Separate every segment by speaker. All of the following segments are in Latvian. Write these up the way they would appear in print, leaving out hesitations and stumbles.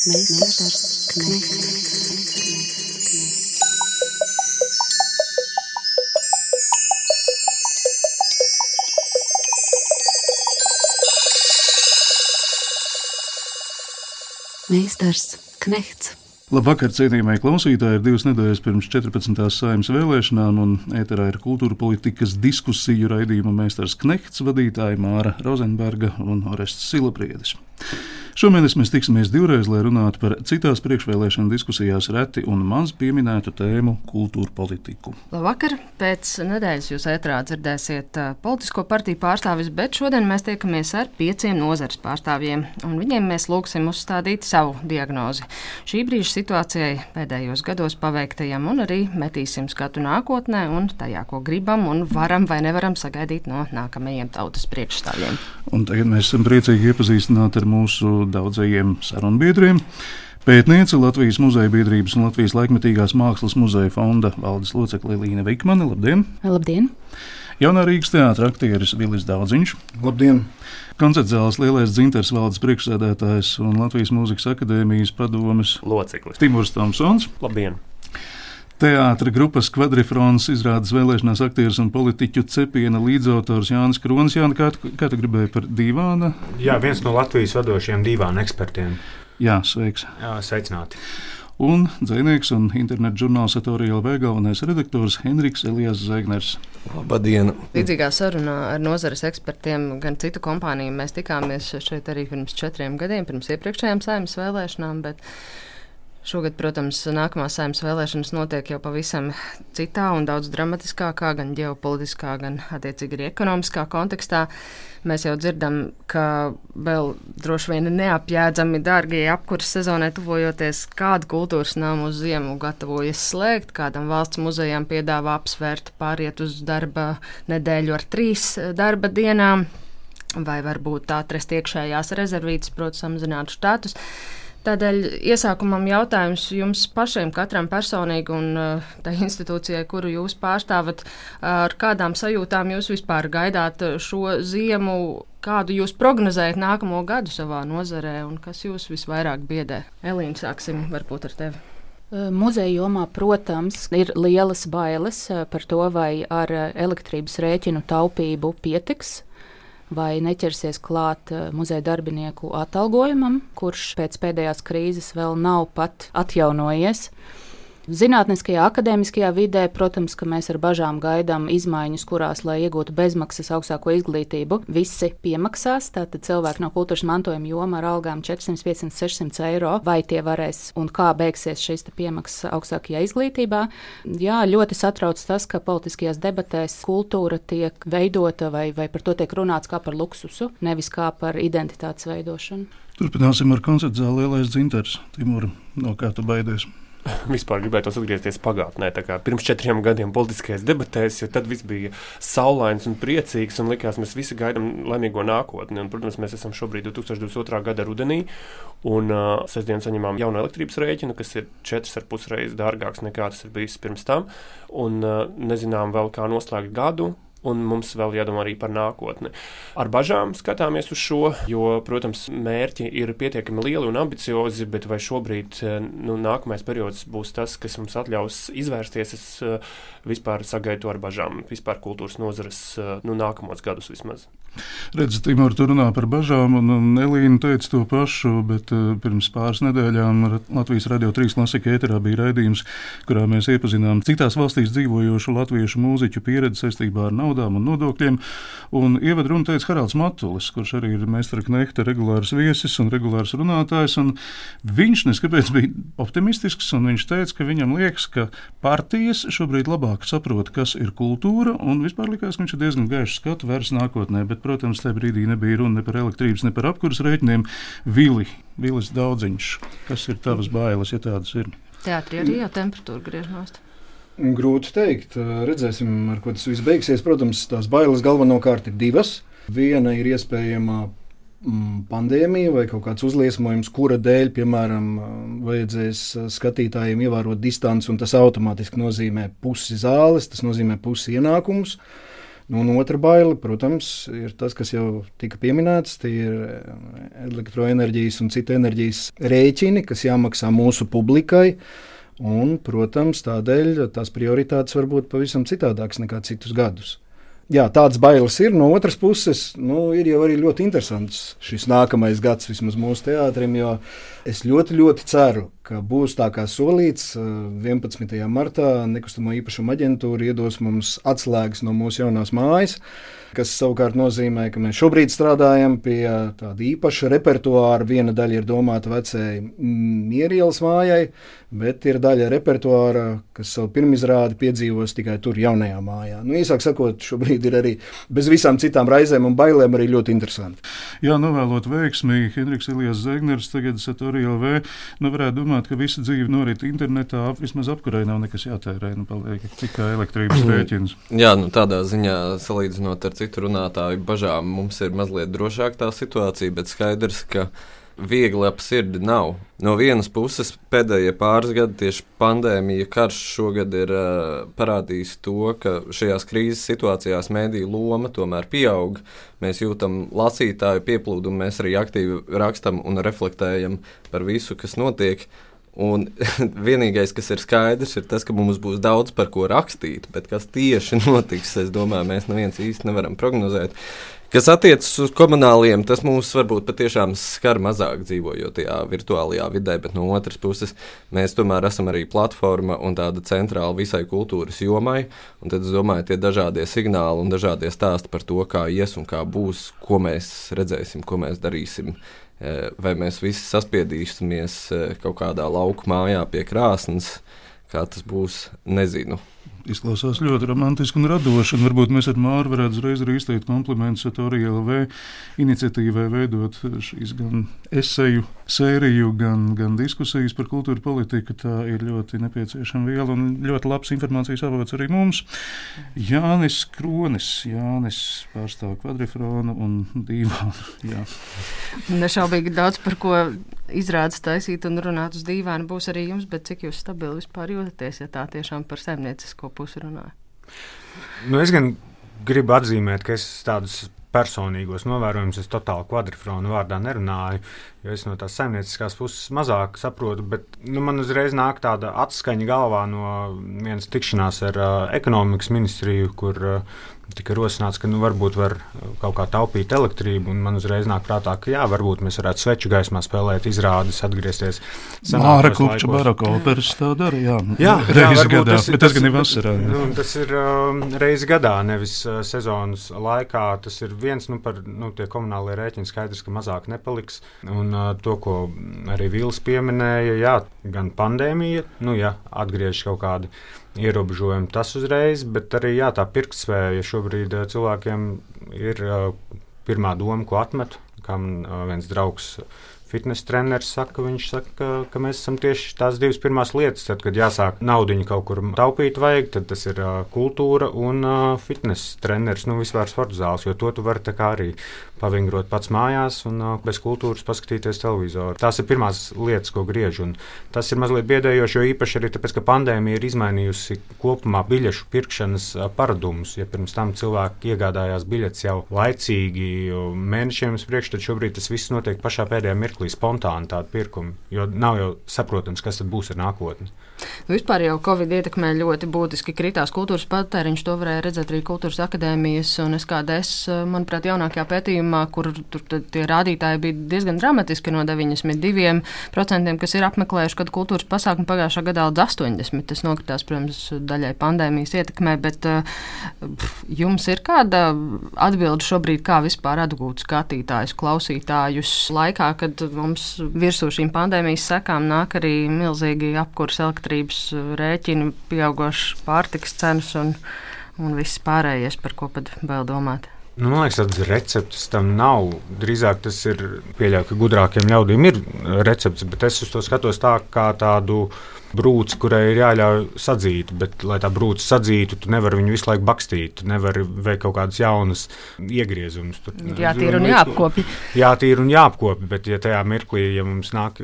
Speaker 1: Meistars Knechts. Meistars Knechts.
Speaker 2: Labvakar, cienījamie klausītāji! Ir 2 nedēļas pirms 14. Saeimas vēlēšanām, un ēterā ir kultūra politikas diskusiju raidījuma Meistars Knechts vadītāji Māra Rozenberga un Orests Silabriedis. Šomēnes mēs tiksimies 2 reizes, lai runātu par citās priekšvēlēšana diskusijās reti un maz pieminētu tēmu kultūra politiku.
Speaker 3: Labvakar! Pēc nedēļas jūs ētrā dzirdēsiet politisko partiju pārstāvis, bet šodien mēs tiekamies ar 5 nozares pārstāvjiem, un viņiem mēs lūgsim uzstādīt savu diagnozi šī brīža situācijai, pēdējos gados paveiktajam, un arī metīsim skatu nākotnē un tajā, ko gribam un varam vai nevaram sagaidīt no nākamajiem tautas priekšstāvjiem.
Speaker 2: Un tagad mēs esam priecīgi iepazīstināt ar mūsu daudzajiem sarunbiedriem. Pētniece, Latvijas muzeja biedrības un Latvijas laikmetīgās mākslas muzeja fonda valdes locekle Līna Vikmane. Labdien!
Speaker 4: Labdien!
Speaker 2: Jaunā Rīgas teātra aktieris Vilis Daudziņš.
Speaker 5: Labdien!
Speaker 2: Koncertzāles Lielais dzintars valdes priekšsēdētājs un Latvijas mūzikas akadēmijas padomes
Speaker 6: loceklis
Speaker 2: Timurs Tomsons.
Speaker 6: Labdien!
Speaker 2: Teātra grupas Kvadrifrons izrādes vēlēšanās aktieris un politiķu cepiena līdzautors Jānis Kronis. Jāni, kā tu gribēji par dīvāna?
Speaker 5: Jā, viens no Latvijas vadošajiem dīvāna ekspertiem.
Speaker 2: Jā, sveiks.
Speaker 5: Jā, sveicināti.
Speaker 2: Un dzejnieks un internetu žurnāls Satorija galvenais redaktors Henriks Elijas Zēgners.
Speaker 7: Labdien!
Speaker 3: Līdzīgā sarunā ar nozares ekspertiem, gan citu kompāniju, mēs tikāmies šeit arī pirms 4 gadiem, pirms iepriekšējām Saeimas vēlēšanām, bet šogad, protams, nākamās Saeimas vēlēšanas notiek jau pavisam citā un daudz dramatiskākā, gan ģeopolitiskā, gan attiecīgi arī ekonomiskā kontekstā. Mēs jau dzirdam, ka vēl droši vien neapjēdzami dārgie apkuras sezonai tuvojoties, kādu kultūras namu uz ziemu gatavojas slēgt, kādam valsts muzejām piedāvā apsvērt pāriet uz darba nedēļu ar 3 darba dienām, vai varbūt atrast iekšējās rezervītes, proti samazinātu štatus. Tādēļ iesākumam jautājums jums pašiem, katram personīgi un tai institūcijai, kuru jūs pārstāvat, ar kādām sajūtām jūs vispār gaidāt šo ziemu, kādu jūs prognozējat nākamo gadu savā nozarē un kas jūs visvairāk biedē? Elīna, sāksim varbūt ar tevi.
Speaker 4: Muzeja jomā, protams, ir lielas bailes par to, vai ar elektrības rēķinu taupību pietiks, vai neķersies klāt muzeja darbinieku atalgojumam, kurš pēc pēdējās krīzes vēl nav pat atjaunojies. Zinātniskajā, akadēmiskajā vidē, protams, ka mēs ar bažām gaidām izmaiņas, kurās, lai iegūtu bezmaksas augstāko izglītību, visi piemaksās. Tātad cilvēki no kultūras mantojuma joma ar algām 400, 500, 600 eiro, vai tie varēs un kā beigsies šīs piemaksas augstākajā izglītībā. Jā, ļoti satrauc tas, ka politiskajās debatēs kultūra tiek veidota vai par to tiek runāts kā par luksusu, nevis kā par identitātes veidošanu.
Speaker 2: Turpināsim ar koncertzāli Lielais dzintars. Timur, no kā tu baidies?
Speaker 6: Vispār gribētu atgriezties pagātnē, tā kā pirms 4 gadiem politiskajās debatēs, jo tad viss bija saulains un priecīgs un likās, mēs visi gaidām laimīgo nākotni. Un, protams, mēs esam šobrīd 2022. gada rudenī un sestdien saņemām jaunu elektrības rēķinu, kas ir 4,5 reizes dārgāks nekā tas ir bijis pirms tam. Un nezinām vēl, kā noslēgt gadu. Un mums vēl jādomā arī par nākotni. Ar bažām skatāmies uz šo, jo, protams, mērķi ir pietiekami lieli un ambiciozi, bet vai šobrīd nākamais periods būs tas, kas mums atļaus izvērsties, es vispār sagaidu ar bažām, vispār kultūras nozares nākamos gadus vismaz.
Speaker 2: Redzi, Timur, tu runā par bažām, un Elīna teica to pašu, bet pirms pāris nedēļām Latvijas Radio 3 klasika ēterā bija raidījums, kurā mēs iepazinām citās valstīs dzīvojošu latviešu mūziķu pieredzi saistībā ar naudām un nodokļiem, un ievadrunu teica Haralds Matulis, kurš arī ir Meistara Knehta regulārs viesis un regulārs runātājs, un viņš neskapēc bija optimistisks, un viņš teica, ka viņam liekas, ka partijas šobrīd labāk saprot, kas ir kultūra, un vispār likās, ka viņš ir diezgan gaišs skatu vērs nākotnē, bet, protams, tajā brīdī nebija runa ne par elektrības, ne par apkuras rēķiniem. Vilis Daudziņš, kas ir tavas bailes, ja tādas ir?
Speaker 3: Teātrī arī jau temperatūra griež nost.
Speaker 5: Grūti teikt. Redzēsim, ar ko tas viss beigsies. Protams, tās bailes galvenokārt ir 2. Viena ir iespējama pandēmija vai kaut kāds uzliesmojums, kura dēļ, piemēram, vajadzēs skatītājiem ievērot distanci, un tas automātiski nozīmē pusi zāles, tas nozīmē pusi ienākumus. Nu, un otra baile, protams, ir tas, kas jau tika pieminēts, tie ir elektroenerģijas un citu enerģijas rēķini, kas jāmaksā mūsu publikai. Un, protams, tādēļ tās prioritātes var būt pavisam citādākas nekā citus gadus. Jā, tādas bailes ir. No otras puses, ir jau arī ļoti interesants šis nākamais gads vismaz mūsu teātrim, jo es ļoti, ļoti ceru, ka būs tā kā solīts. 11. martā Nekustamo īpašumu aģentūra iedos mums atslēgas no mūsu jaunās mājas, kas savukārt nozīmē, ka mēs šobrīd strādājam pie tāda īpaša repertuāra. Viena daļa ir domāta vecajai Mierielas mājai, bet ir daļa repertuāra, kas savu pirmizrādi piedzīvos tikai tur jaunajā mājā. Īsāk sakot, šobrīd ir arī bez visām citām raizēm un bailēm arī ļoti interesanti.
Speaker 2: Jā, novēlot veiksmi, Henriks Ilijas Zegners, tagad Satori LV, varētu domāt, ka visa dzīve norit internetā, vismaz apkurei nav nekas jātērē, paliek tikai elektrības rēķins.
Speaker 7: Jā, tādā ziņā salīdzinot ar citu runātāju bažām, mums ir mazliet drošāk tā situācija, bet skaidrs, ka viegli ap sirdi nav. No vienas puses, pēdējie pāris gadi tieši pandēmija, karš šogad ir parādījis to, ka šajās krīzes situācijās mēdīju loma tomēr pieaug. Mēs jūtam lasītāju pieplūdumu, mēs arī aktīvi rakstam un reflektējam par visu, kas notiek. Un vienīgais, kas ir skaidrs, ir tas, ka mums būs daudz par ko rakstīt, bet kas tieši notiks, es domāju, mēs neviens īsti nevaram prognozēt. Kas attiecas uz komunāliem, tas mūs varbūt patiešām skar mazāk dzīvojot tajā virtuālajā vidē, bet no otras puses mēs tomēr esam arī platforma un tāda centrāla visai kultūras jomai, un tad es domāju, tie dažādie signāli un dažādie stāsti par to, kā ies un kā būs, ko mēs redzēsim, ko mēs darīsim. Vai mēs visi saspiedīsimies kaut kādā lauku mājā pie krāsnes, kā tas būs, nezinu.
Speaker 2: Izklausās ļoti romantiski un radoši, un varbūt mēs ar Māru varētu uzreiz arī izteikt komplimentus Satori LV iniciatīvai veidot šīs gan eseju sēriju, gan diskusijas par kultūru politiku. Tā ir ļoti nepieciešama viela un ļoti labs informācijas avots arī mums. Jānis Kronis, Jānis pārstāv kvadrifronu un dīvānu. Jā.
Speaker 3: Nešaubīgi daudz par ko izrādes taisīt un runāt uz dīvānu būs arī jums, bet cik jūs stabili vispār jūtaties, ja tā tiešām par saimniecisko pusi runāju?
Speaker 8: Es gan gribu atzīmēt, ka es tādus personīgos novērojumus es totāli kvadrifronu vārdā nerunāju, jo es no tās saimnieciskās puses mazāk saprotu, bet man uzreiz nāk tāda atskaņa galvā no vienas tikšanās ar ekonomikas ministriju, kur tika rosināts, ka varbūt var kaut kā taupīt elektrību, un man uzreiz nāk prātā, ka jā, varbūt mēs varētu sveču gaismā spēlēt izrādes, atgriezties
Speaker 2: Māra Kupča baraka operas tā dara, jā reizi gadā, bet tas gan ir vasarā.
Speaker 8: Tas ir reizi gadā, nevis sezonas laikā, tas ir viens, tie komunālie rēķini skaidrs, ka mazāk nepaliks, un to, ko arī Vils pieminēja, jā, gan pandēmija, atgriežas kaut kādi ierobežojumi tas uzreiz, bet arī tā pirktspēja šobrīd cilvēkiem ir pirmā doma, ko atmet, kā man viens draugs fitness treneris saka, viņš saka, ka mēs esam tieši tās divas pirmās lietas, tad, kad jāsāk naudiņu kaut kur taupīt vajag, tad tas ir kultūra un fitness treneris, vispār sporta zāles, jo to tu vari tā kā arī pavingrot pats mājās un bez kultūras paskatīties televizoru. Tās ir pirmās lietas, ko griež, un tas ir mazliet biedējoši, jo īpaši arī tāpēc, ka pandēmija ir izmainījusi kopumā biļešu pirkšanas paradumus. Ja pirms tam cilvēki iegādājās biļetes jau laicīgi mēnešiem uz priekšu, tad šobrīd tas viss notiek pašā pēdējā mirklī spontāni tādu pirkumu, jo nav jau saprotams, kas tad būs ar nākotni.
Speaker 3: Vispār jau Covid ietekmē ļoti būtiski kritās kultūras patēriņš, to varēja redzēt arī kultūras akadēmijas un SKDS, manuprāt, jaunākajā pētījumā, kur tur tie rādītāji bija diezgan dramatiski no 92%, kas ir apmeklējuši kādu kultūras pasākumu pagājušā gadā līdz 80%. Tas nokritās, protams, daļai pandēmijas ietekmē, bet jums ir kāda atbilde šobrīd, kā vispār atgūt skatītājus, klausītājus laikā, kad mums virsū šīm pandēmijas sekām nāk arī milzīgi apkurs elektrības rēķini, pieaugošas pārtikas cenas un viss pārējais, par ko pat vēl domāt.
Speaker 8: Man liekas, tādas receptes tam nav. Drīzāk tas ir, pieļauju, ka gudrākiem ļaudīm ir receptes, bet es uz to skatos tā kā tādu brūce, kurai ir jāļauj sadzīt, bet, lai tā brūce sadzītu, tu nevari viņu visu laiku bakstīt, tu nevari veikt kaut kādus jaunus iegriezumus.
Speaker 3: Jātīra un jāapkopi.
Speaker 8: Jātīra un jāapkopi, bet ja tajā mirklī, ja mums nāk,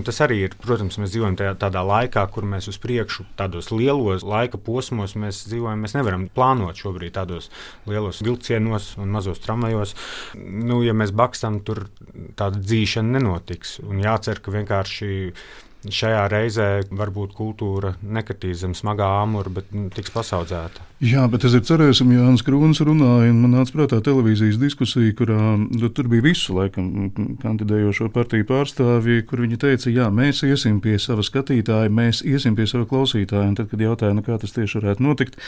Speaker 8: tas arī ir, protams, mēs dzīvojam tādā laikā, kur mēs uz priekšu, tādos lielos laika posmos mēs dzīvojam, mēs nevaram plānot šobrīd tādos lielos vilcienos un mazos tramvajos. Ja mēs bakstam, tur tāda dzīšana nenotiks. Un jācer, ka vienkārši šajā reizē varbūt kultūra nekritīs zem smagā āmura, bet tiks pasaudzēta.
Speaker 2: Jā, bet es cerēsim, Jānis Krūns runāja, un man nāca prātā televīzijas diskusija, kurā tur bija visu laikam kandidējošo partiju pārstāvji, kur viņi teica, jā, mēs iesim pie sava skatītāja, mēs iesim pie sava klausītāja, un tad, kad jautāja, kā tas tieši varētu notikt,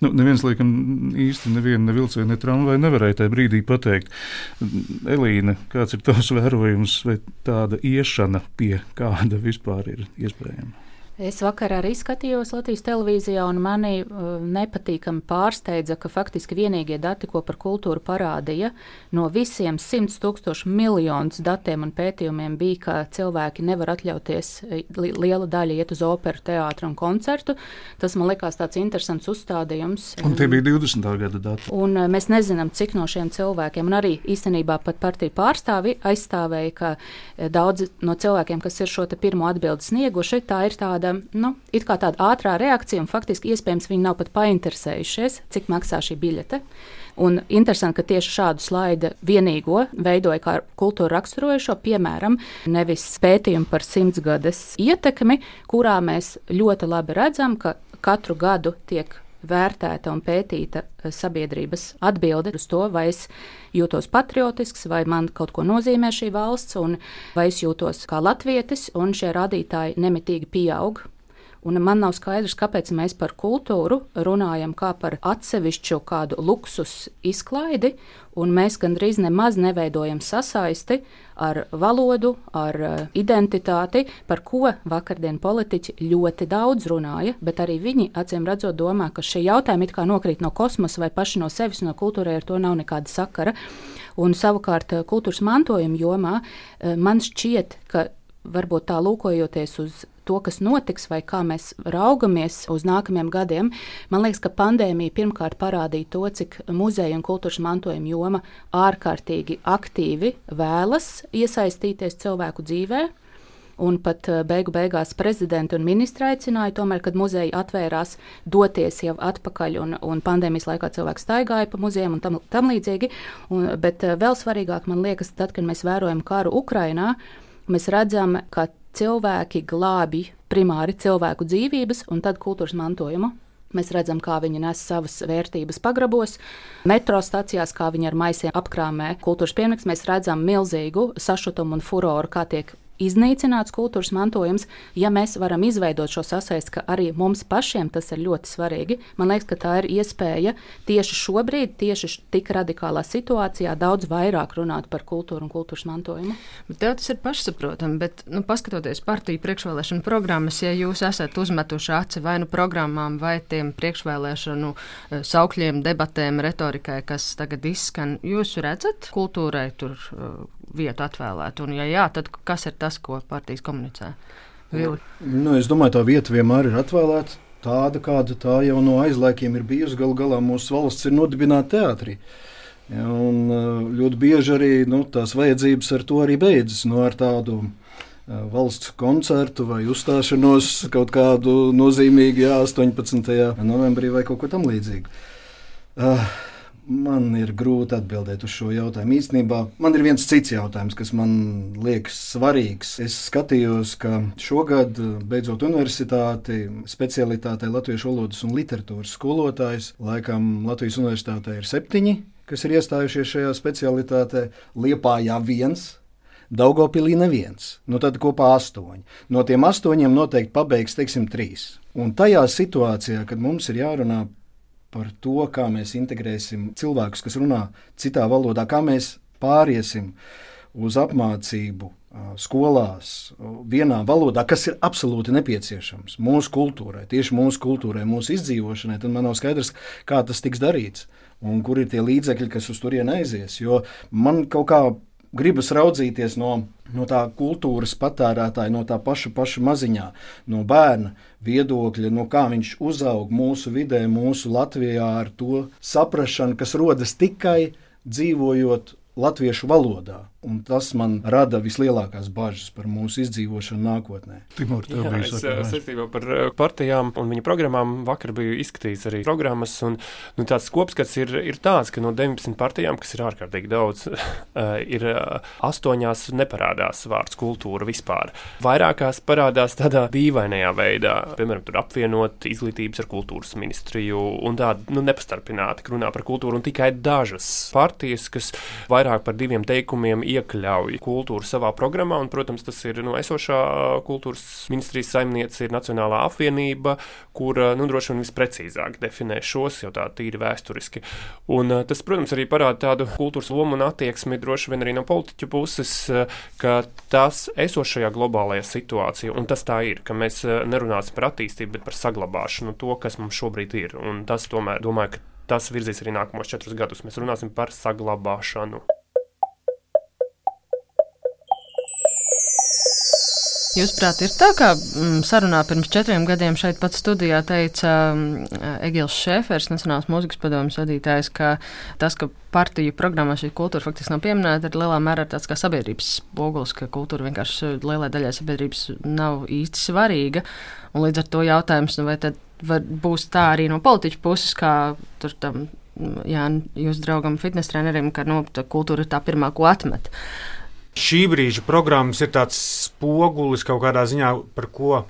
Speaker 2: neviens, laikam, īsti neviena vilciena, ne tramvai nevarēja tajā brīdī pateikt. Elīna, kāds ir tavs vērojums, vai tāda iešana pie kāda vispār ir iespējama?
Speaker 4: Es vakar arī skatījos Latvijas televīzijā, un mani nepatīkami pārsteidza, ka faktiski vienīgie dati, ko par kultūru parādīja, no visiem 100 000 miljonus datiem un pētījumiem bija, ka cilvēki nevar atļauties liela daļa iet uz operu, teātru un koncertu. Tas man likās tāds interesants uzstādījums.
Speaker 2: Un tie bija 20. gada dati.
Speaker 4: Un mēs nezinām, cik no šiem cilvēkiem, un arī īstenībā pat partiju pārstāvi aizstāvēja, ka daudzi no cilvēkiem, kas ir šo te pirmo atbildi snieguši, tā ir tāda it kā tāda ātrā reakcija, un faktiski iespējams viņi nav pat painteresējušies, cik maksā šī biļete. Un interesanti, ka tieši šādu slaidu vienīgo veidoja kā kultūra raksturojušo, piemēram, nevis pētījumu par 100 gades ietekmi, kurā mēs ļoti labi redzam, ka katru gadu tiek vērtēta un pētīta sabiedrības atbilde uz to, vai es jūtos patriotisks, vai man kaut ko nozīmē šī valsts, un vai es jūtos kā latvietis, un šie rādītāji nemitīgi pieaug. Un man nav skaidrs, kāpēc mēs par kultūru runājam kā par atsevišķu kādu luksus izklaidi, un mēs gandrīz nemaz neveidojam sasaisti ar valodu, ar identitāti, par ko vakardien politiķi ļoti daudz runāja, bet arī viņi, acīm redzot, domā, ka šie jautājumi it kā nokrīt no kosmosa vai paši no sevis, no kultūrai ar to nav nekāda sakara. Un savukārt kultūras mantojuma jomā man šķiet, ka varbūt tā lūkojoties uz to, kas notiks, vai kā mēs raugamies uz nākamajiem gadiem, man liekas, ka pandēmija pirmkārt parādīja to, cik muzeja un kultūras mantojuma joma ārkārtīgi aktīvi vēlas iesaistīties cilvēku dzīvē. Un pat beigās prezidenti un ministri aicināja, tomēr, kad muzeji atvērās, doties jau atpakaļ, un pandēmijas laikā cilvēki staigāja pa muzejiem un tam līdzīgi. Bet vēl svarīgāk man liekas, tad, kad mēs vērojam karu Ukrainā, mēs redzam, ka cilvēki glābi primāri cilvēku dzīvības un tad kultūras mantojumu. Mēs redzam, kā viņi nes savas vērtības pagrabos, metro stacijās, kā viņi ar maisiem apkrāmē kultūras pieminekļus. Mēs redzam milzīgu sašutumu un furoru, kā tiek iznīcināts kultūras mantojums. Ja mēs varam izveidot šo sasaisti, ka arī mums pašiem tas ir ļoti svarīgi, man liekas, ka tā ir iespēja tieši šobrīd, tieši tik radikālā situācijā daudz vairāk runāt par kultūru un kultūras mantojumu.
Speaker 3: Bet tev tas ir pašsaprotami, bet paskatoties partiju priekšvēlēšanu programmas, ja jūs esat uzmetuši aci vai programmām, vai tiem priekšvēlēšanu saukļiem, debatēm, retorikai, kas tagad izskan, jūs redzat kultūrai tur vietu atvēlēt? Un ja jā, tad kas ir tas, ko partijas komunicē? Vili?
Speaker 5: Es domāju, tā vieta vienmēr ir atvēlēta tāda, kāda tā jau no aizlaikiem ir bijusi. Galu galā mūsu valsts ir nodibināta teātrī. Ja, un ļoti bieži arī tās vajadzības ar to arī beidzas. Ar tādu valsts koncertu vai uzstāšanos kaut kādu nozīmīgu 18. novembrī vai kaut ko tam līdzīgu. Man ir grūti atbildēt uz šo jautājumu. Īstenībā man ir viens cits jautājums, kas man liekas svarīgs. Es skatījos, ka šogad, beidzot universitāti, specialitātei latviešu valodas un literatūras skolotājs, laikam Latvijas universitātē ir 7, kas ir iestājušies šajā specialitātē. Liepājā 1, Daugavpilī neviens. Tad kopā 8. No tiem 8 noteikti pabeigs, 3. Un tajā situācijā, kad mums ir jārunā par to, kā mēs integrēsim cilvēkus, kas runā citā valodā, kā mēs pāriesim uz apmācību skolās vienā valodā, kas ir absolūti nepieciešams mūsu kultūrai, tieši mūsu kultūrai, mūsu izdzīvošanai, tad man nav skaidrs, kā tas tiks darīts un kur ir tie līdzekļi, kas uz turieni aizies. Jo man kaut kā gribas raudzīties no tā kultūras patērētāja, no tā paša maziņā, no bērna viedokļa, no kā viņš uzaug mūsu vidē, mūsu Latvijā ar to saprašanu, kas rodas tikai dzīvojot latviešu valodā. Un tas man rada vislielākās bažas par mūsu izdzīvošanu nākotnē.
Speaker 2: Timur, tev bija sakām.
Speaker 6: Saistībā par partijām un viņu programmām vakar biju izskatījis arī programmas, un tāds kopskats ir tāds, ka no 19 partijām, kas ir ārkārtīgi daudz, ir 8 neparādās vārds kultūra vispār. Vairākās parādās tādā dīvainajā veidā, piemēram, tur apvienot izglītības ar kultūras ministriju un tādu nepastarpināti runā par kultūru, un tikai dažas partijas, kas vairāk par 2 teikumiem iekļauj kultūru savā programmā, un, protams, tas ir esošā kultūras ministrijas saimniece ir Nacionālā apvienība, kur droši vien visprecīzāk definē šos jau tā tīri vēsturiski. Un tas, protams, arī parāda tādu kultūras lomu un attieksmi droši vien arī no politiķu puses, ka tas esošajā globālajā situācijā, un tas tā ir, ka mēs nerunāsim par attīstību, bet par saglabāšanu to, kas mums šobrīd ir. Un tas, tomēr, domāju, ka tas virzīs arī nākamos 4 gadus. Mēs runāsim par saglabāšanu.
Speaker 3: Jūsuprāt, ir tā, kā sarunā pirms 4 gadiem šeit pat studijā teica Egils Šēfers, Nacionālās mūzikas padomes vadītājs, ka tas, ka partiju programmā šī kultūra faktiski nav pieminēta, ir lielā mērā tāds kā sabiedrības spogulis, ka kultūra vienkārši lielai daļai sabiedrības nav īsti svarīga. Un līdz ar to jautājums, vai tad būs tā arī no politiķu puses, kā tur tam, jūsu draugam fitnes trenerim, ka kultūra ir tā pirmā, ko atmet.
Speaker 8: Šī brīža programmas ir tāds spogulis kaut kādā ziņā, par ko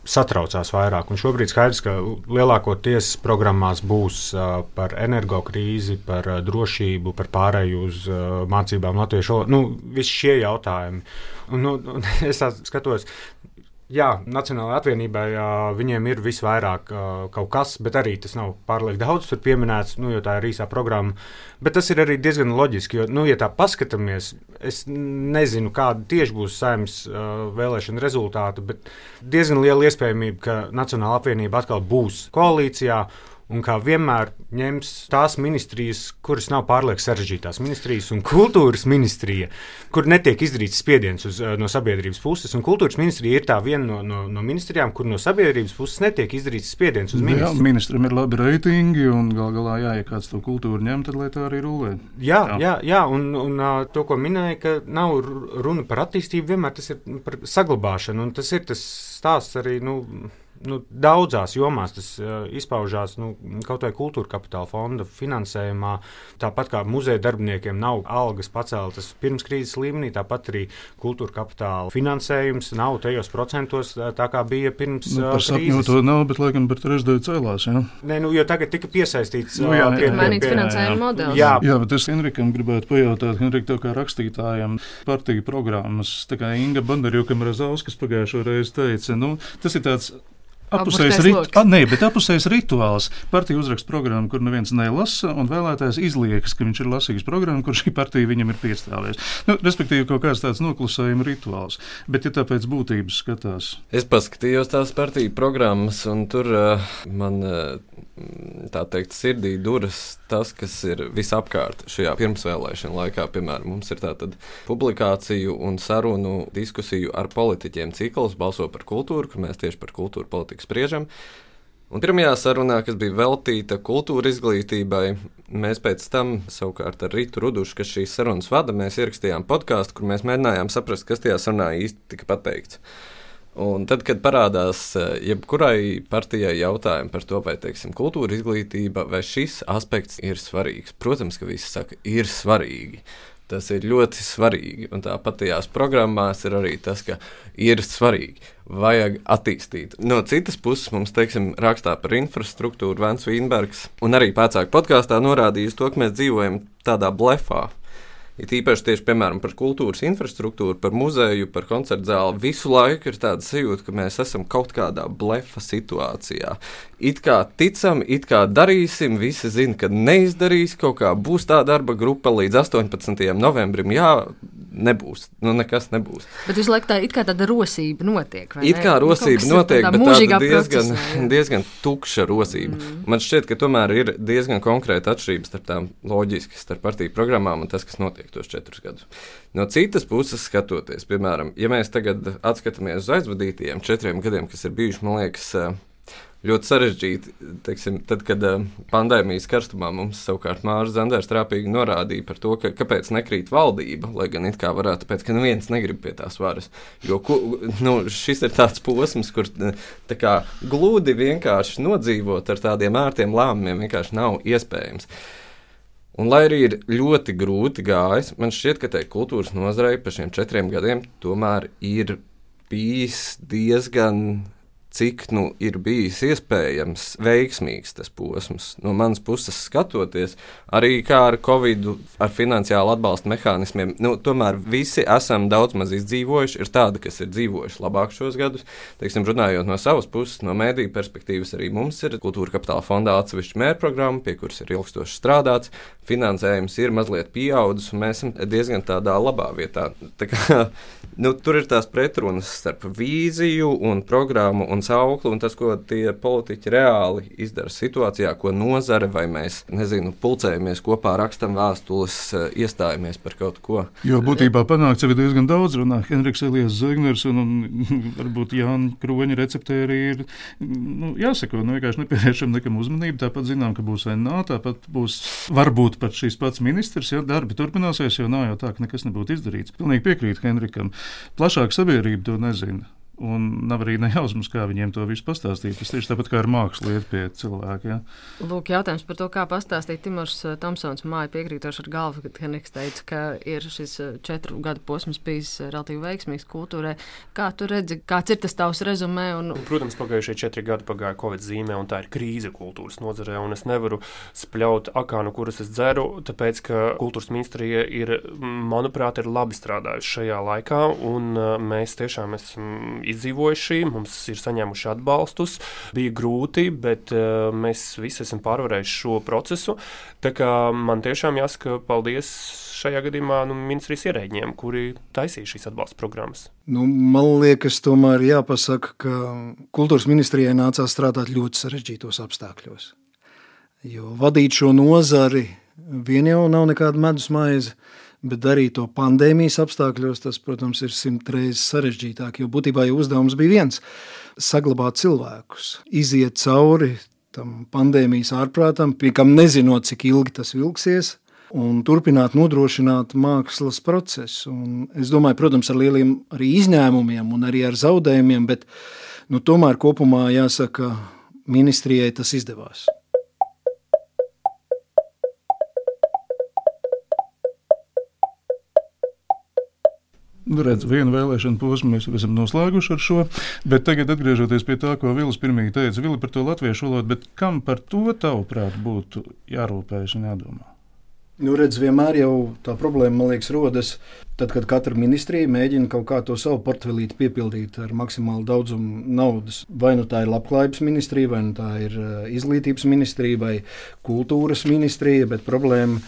Speaker 8: satraucās vairāk. Un šobrīd skaidrs, ka lielākoties programmās būs par energokrīzi, par drošību, par pārēju uz mācībām latviešu valodā. Visi šie jautājumi. Un es tā skatos. Jā, Nacionālajai apvienībai viņiem ir visvairāk kaut kas, bet arī tas nav pārlieku daudz tur pieminēts, jo tā ir īsā programma. Bet tas ir arī diezgan loģiski, jo, ja tā paskatāmies, es nezinu, kāda tieši būs Saeimas vēlēšana rezultāti, bet diezgan liela iespējamība, ka Nacionālā apvienība atkal būs koalīcijā. Un kā vienmēr ņems tās ministrijas, kuras nav pārlieku sarežģītās ministrijas, un kultūras ministrija, kur netiek izdarīts spiediens no sabiedrības puses. Un kultūras ministrija ir tā viena no ministrijām, kur no sabiedrības puses netiek izdarīts spiediens uz ministru.
Speaker 2: Jā, ministram ir labi reitingi, un galā, ja kāds to kultūru ņem, tad lai tā arī rulē.
Speaker 8: Jā, un to, ko minēja, ka nav runa par attīstību, vienmēr tas ir par saglabāšanu, un tas ir tas stāsts arī, daudzās jomās tas izpaužās kaut vai kultūra kapitāla fonda finansējumā. Tāpat kā muzeja darbiniekiem nav algas paceltas pirms krīzes līmenī, tāpat arī kultūra kapitāla finansējums nav tajos procentos, tā kā bija pirms
Speaker 2: par sapņu to nav, bet laikam par trešdaļu cēlās. Ja?
Speaker 8: Nē, jo tagad tika piesaistīts
Speaker 3: mainīts finansējuma modelis.
Speaker 2: Jā, bet es Henrikam gribētu pajautāt, Henrik, tev kā rakstītājam partiju programmas, tā kā Inga Bandarjukam Razauskas pagājušo reizi teica, tas ir tāds apusējs rituāls. Partija uzraksta programmu, kur neviens nelasa, un vēlētājs izliekas, ka viņš ir lasījis programmu, kur šī partija viņam ir piestāvējusi. Respektīvi, kaut kāds tāds noklusējuma rituāls. Bet, ja tāpēc būtības skatās.
Speaker 7: Es paskatījos tās partiju programmas, un tur man, tā teikt, sirdī duras tas, kas ir visapkārt šajā pirmsvēlēšana laikā. Piemēram, mums ir tātad publikāciju un sarunu diskusiju ar politiķiem cikls Balso par kultūru, kur mēs tieši par kultūru politiku spriežam. Un pirmajā sarunā, kas bija veltīta kultūra izglītībai, mēs pēc tam savukārt ar Ritu Rudušu, kas šīs sarunas vada, mēs ierakstījām podkāstu, kur mēs mēģinājām saprast, kas tajā sarunā īsti tika pateikts. Un tad, kad parādās jebkurai partijai jautājumi par to, vai, teiksim, kultūra izglītība, vai šis aspekts ir svarīgs, protams, ka visi saka, ir svarīgi. Tas ir ļoti svarīgi, un tāpat tajās programmās ir arī tas, ka ir svarīgi, vajag attīstīt. No citas puses mums, teiksim, rakstā par infrastruktūru Vents Vīnbergs, un arī pēcāk podkāstā norādījis to, ka mēs dzīvojam tādā blefā. It īpaši tieši, piemēram, par kultūras infrastruktūru, par muzeju, par koncertu zāli. Visu laiku ir tāda sajūta, ka mēs esam kaut kādā blefa situācijā. It kā ticam, it kā darīsim, visi zina, ka neizdarīs, kaut kā būs tā darba grupa līdz 18. novembrim. Jā, nebūs. Nekas nebūs.
Speaker 3: Bet visu laiku tāda rosība notiek, vai ne?
Speaker 7: It kā rosība notiek, bet tāda diezgan tukša rosība. Man šķiet, ka tomēr ir diezgan konkrēta atšķirības starp tām loģiski, starp partiju programmām un tas, kas notiek tos 4 gadus. No citas puses skatoties, piemēram, ja mēs tagad atskatāmies uz aizvadītajiem 4 gadiem, kas ir bijuši, man liekas, ļoti sarežģīti, teiksim, tad, kad pandēmijas karstumā mums savukārt Māris Zanders trāpīgi norādīja par to, kāpēc nekrīt valdība, lai gan it kā varētu, tāpēc, ka neviens negrib pie tās varas. Jo šis ir tāds posms, kur tā kā gludi vienkārši nodzīvot ar tādiem ērtiem lēmumiem vienkārši nav iespējams. Un, lai arī ir ļoti grūti gājis, man šķiet, ka tai kultūras nozarei pa šiem 4 gadiem tomēr ir bijis diezgan, cik ir bijis iespējams veiksmīgs tas posms. No manas puses skatoties, arī kā ar Covid, ar finansiālu atbalstu mehānismiem, tomēr visi esam daudz maz izdzīvojuši, ir tādi, kas ir dzīvojuši labāk šos gadus. Teiksim, runājot no savas puses, no mēdīju perspektīvas, arī mums ir Kultūra Kapitāla fondā atsevišķa mērprogramma, pie kuras ir ilgstoši strādāts, finansējums ir mazliet pieaudzis, un mēs esam diezgan tādā labā vietā. Tā kā, tur ir tās pretrunas starp vīziju un programmu un sauklu, un tas, ko tie politiķi reāli izdara situācijā, ko nozare, vai mēs, pulcējamies kopā, rakstam vēstules, iestājamies par kaut ko.
Speaker 2: Jo būtībā panākts jau diezgan daudz runā. Henriks Elijas Zegners un varbūt Jāņa Kroņa receptē arī ir, jāsako, vienkārši nepievēršam nekam uzmanību, tāpat zinām, ka būs NA, tāpat būs varbūt pat šis pats ministrs, ja darbi turpināsies, jo nav jau tā, ka nekas nebūtu izdarīts. Pilnīgi piekrīt Henrikam. Plašāk sabiedrība to nezina. Un nav arī nejausmas, kā viņiem to visu pastāstīt. Tas tieši tāpat kā ar mākslu iet pie cilvēka. Ja?
Speaker 3: Lūk, jautājums par to, kā pastāstīt. Timurs Tomsons māja piekrītoši ar galvu, kad Henriks teica, ka ir šis 4 gadu posms bijis relatīvi veiksmīgs kultūrai. Kā tu redzi, kāds ir tas tavs rezumē?
Speaker 6: Protams, pagājušie 4 gadi pagāja Covid zīmē, un tā ir krīze kultūras nozarē, un es nevaru spļaut akānu, kuras es dzeru, tāpēc, ka kultūras ministrija ir, manuprāt, ir labi strādājusi šajā laikā, un mēs tiešām esam izdzīvojuši, mums ir saņēmuši atbalstus, bija grūti, bet mēs visi esam pārvarējuši šo procesu. Tā kā man tiešām jāsaka paldies šajā gadījumā ministrijas ierēģiem, kuri taisīja šīs atbalsta programmas.
Speaker 5: Man liekas, tomēr jāpasaka, ka kultūras ministrijai nācās strādāt ļoti sarežģītos apstākļos. Jo vadīt šo nozari vien jau nav nekāda medus maize, bet darīt to pandēmijas apstākļos, tas, protams, ir 100 reizes sarežģītāk, jo būtībā jau uzdevums bija viens – saglabāt cilvēkus, iziet cauri tam pandēmijas ārprātam, pie kam nezinot, cik ilgi tas vilksies, un turpināt nodrošināt mākslas procesu. Un es domāju, protams, ar lieliem arī izņēmumiem un arī ar zaudējumiem, bet tomēr kopumā jāsaka, ministrijai tas izdevās.
Speaker 2: Redz, vienu vēlēšanu posmu mēs esam noslēguši ar šo, bet tagad atgriežoties pie tā, ko Vilis pirmīgi teica, Vili par to latviešu valodu, bet kam par to tavuprāt būtu jārūpējas un jādomā?
Speaker 5: Redz, vienmēr jau tā problēma, man liekas, rodas tad, kad katra ministrija mēģina kaut kā to savu portfelīti piepildīt ar maksimālu daudzumu naudas. Vai tā ir labklājības ministrija, vai tā ir izglītības ministrija, vai kultūras ministrija, bet problēma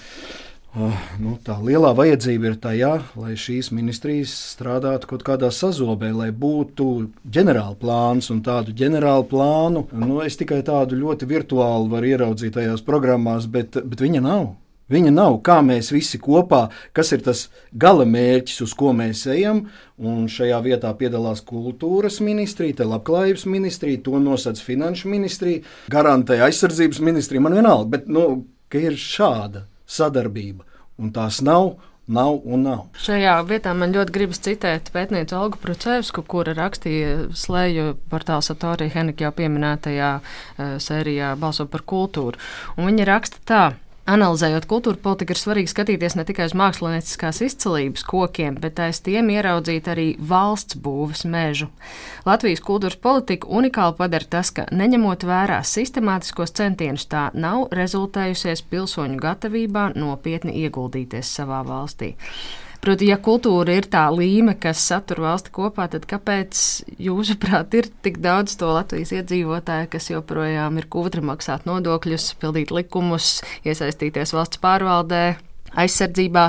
Speaker 5: tā lielā vajadzība ir tajā, lai šīs ministrijas strādātu kaut kādā sazobē, lai būtu ģenerāla plāns, un tādu ģenerālu plānu, es tikai tādu ļoti virtuāli varu ieraudzīt tajās programmās, bet viņa nav. Viņa nav, kā mēs visi kopā, kas ir tas gala mērķis, uz ko mēs ejam, un šajā vietā piedalās kultūras ministrija, labklājības ministrija, to nosac finanšu ministrija, garantē aizsardzības ministrija, man vienalga, bet, ka ir šāda sadarbība, un tās nav un nav.
Speaker 3: Šajā vietā man ļoti gribas citēt pētnieci Olgu Prucevsku, kura rakstīja slēju portāla Satorija Henrika jau pieminētajā sērijā Balso par kultūru. Un viņa raksta tā: analizējot kultūra politiku, ir svarīgi skatīties ne tikai uz mākslinieckās izcilības kokiem, bet aiz tiem ieraudzīt arī valsts būves mežu. Latvijas kultūras politiku unikāli padara tas, ka, neņemot vērā sistemātiskos centienus, tā nav rezultējusies pilsoņu gatavībā nopietni ieguldīties savā valstī. Proti, ja kultūra ir tā līme, kas satur valsti kopā, tad kāpēc, jūsuprāt, ir tik daudz to Latvijas iedzīvotāju, kas joprojām ir kūtri maksāt nodokļus, pildīt likumus, iesaistīties valsts pārvaldē, aizsardzībā?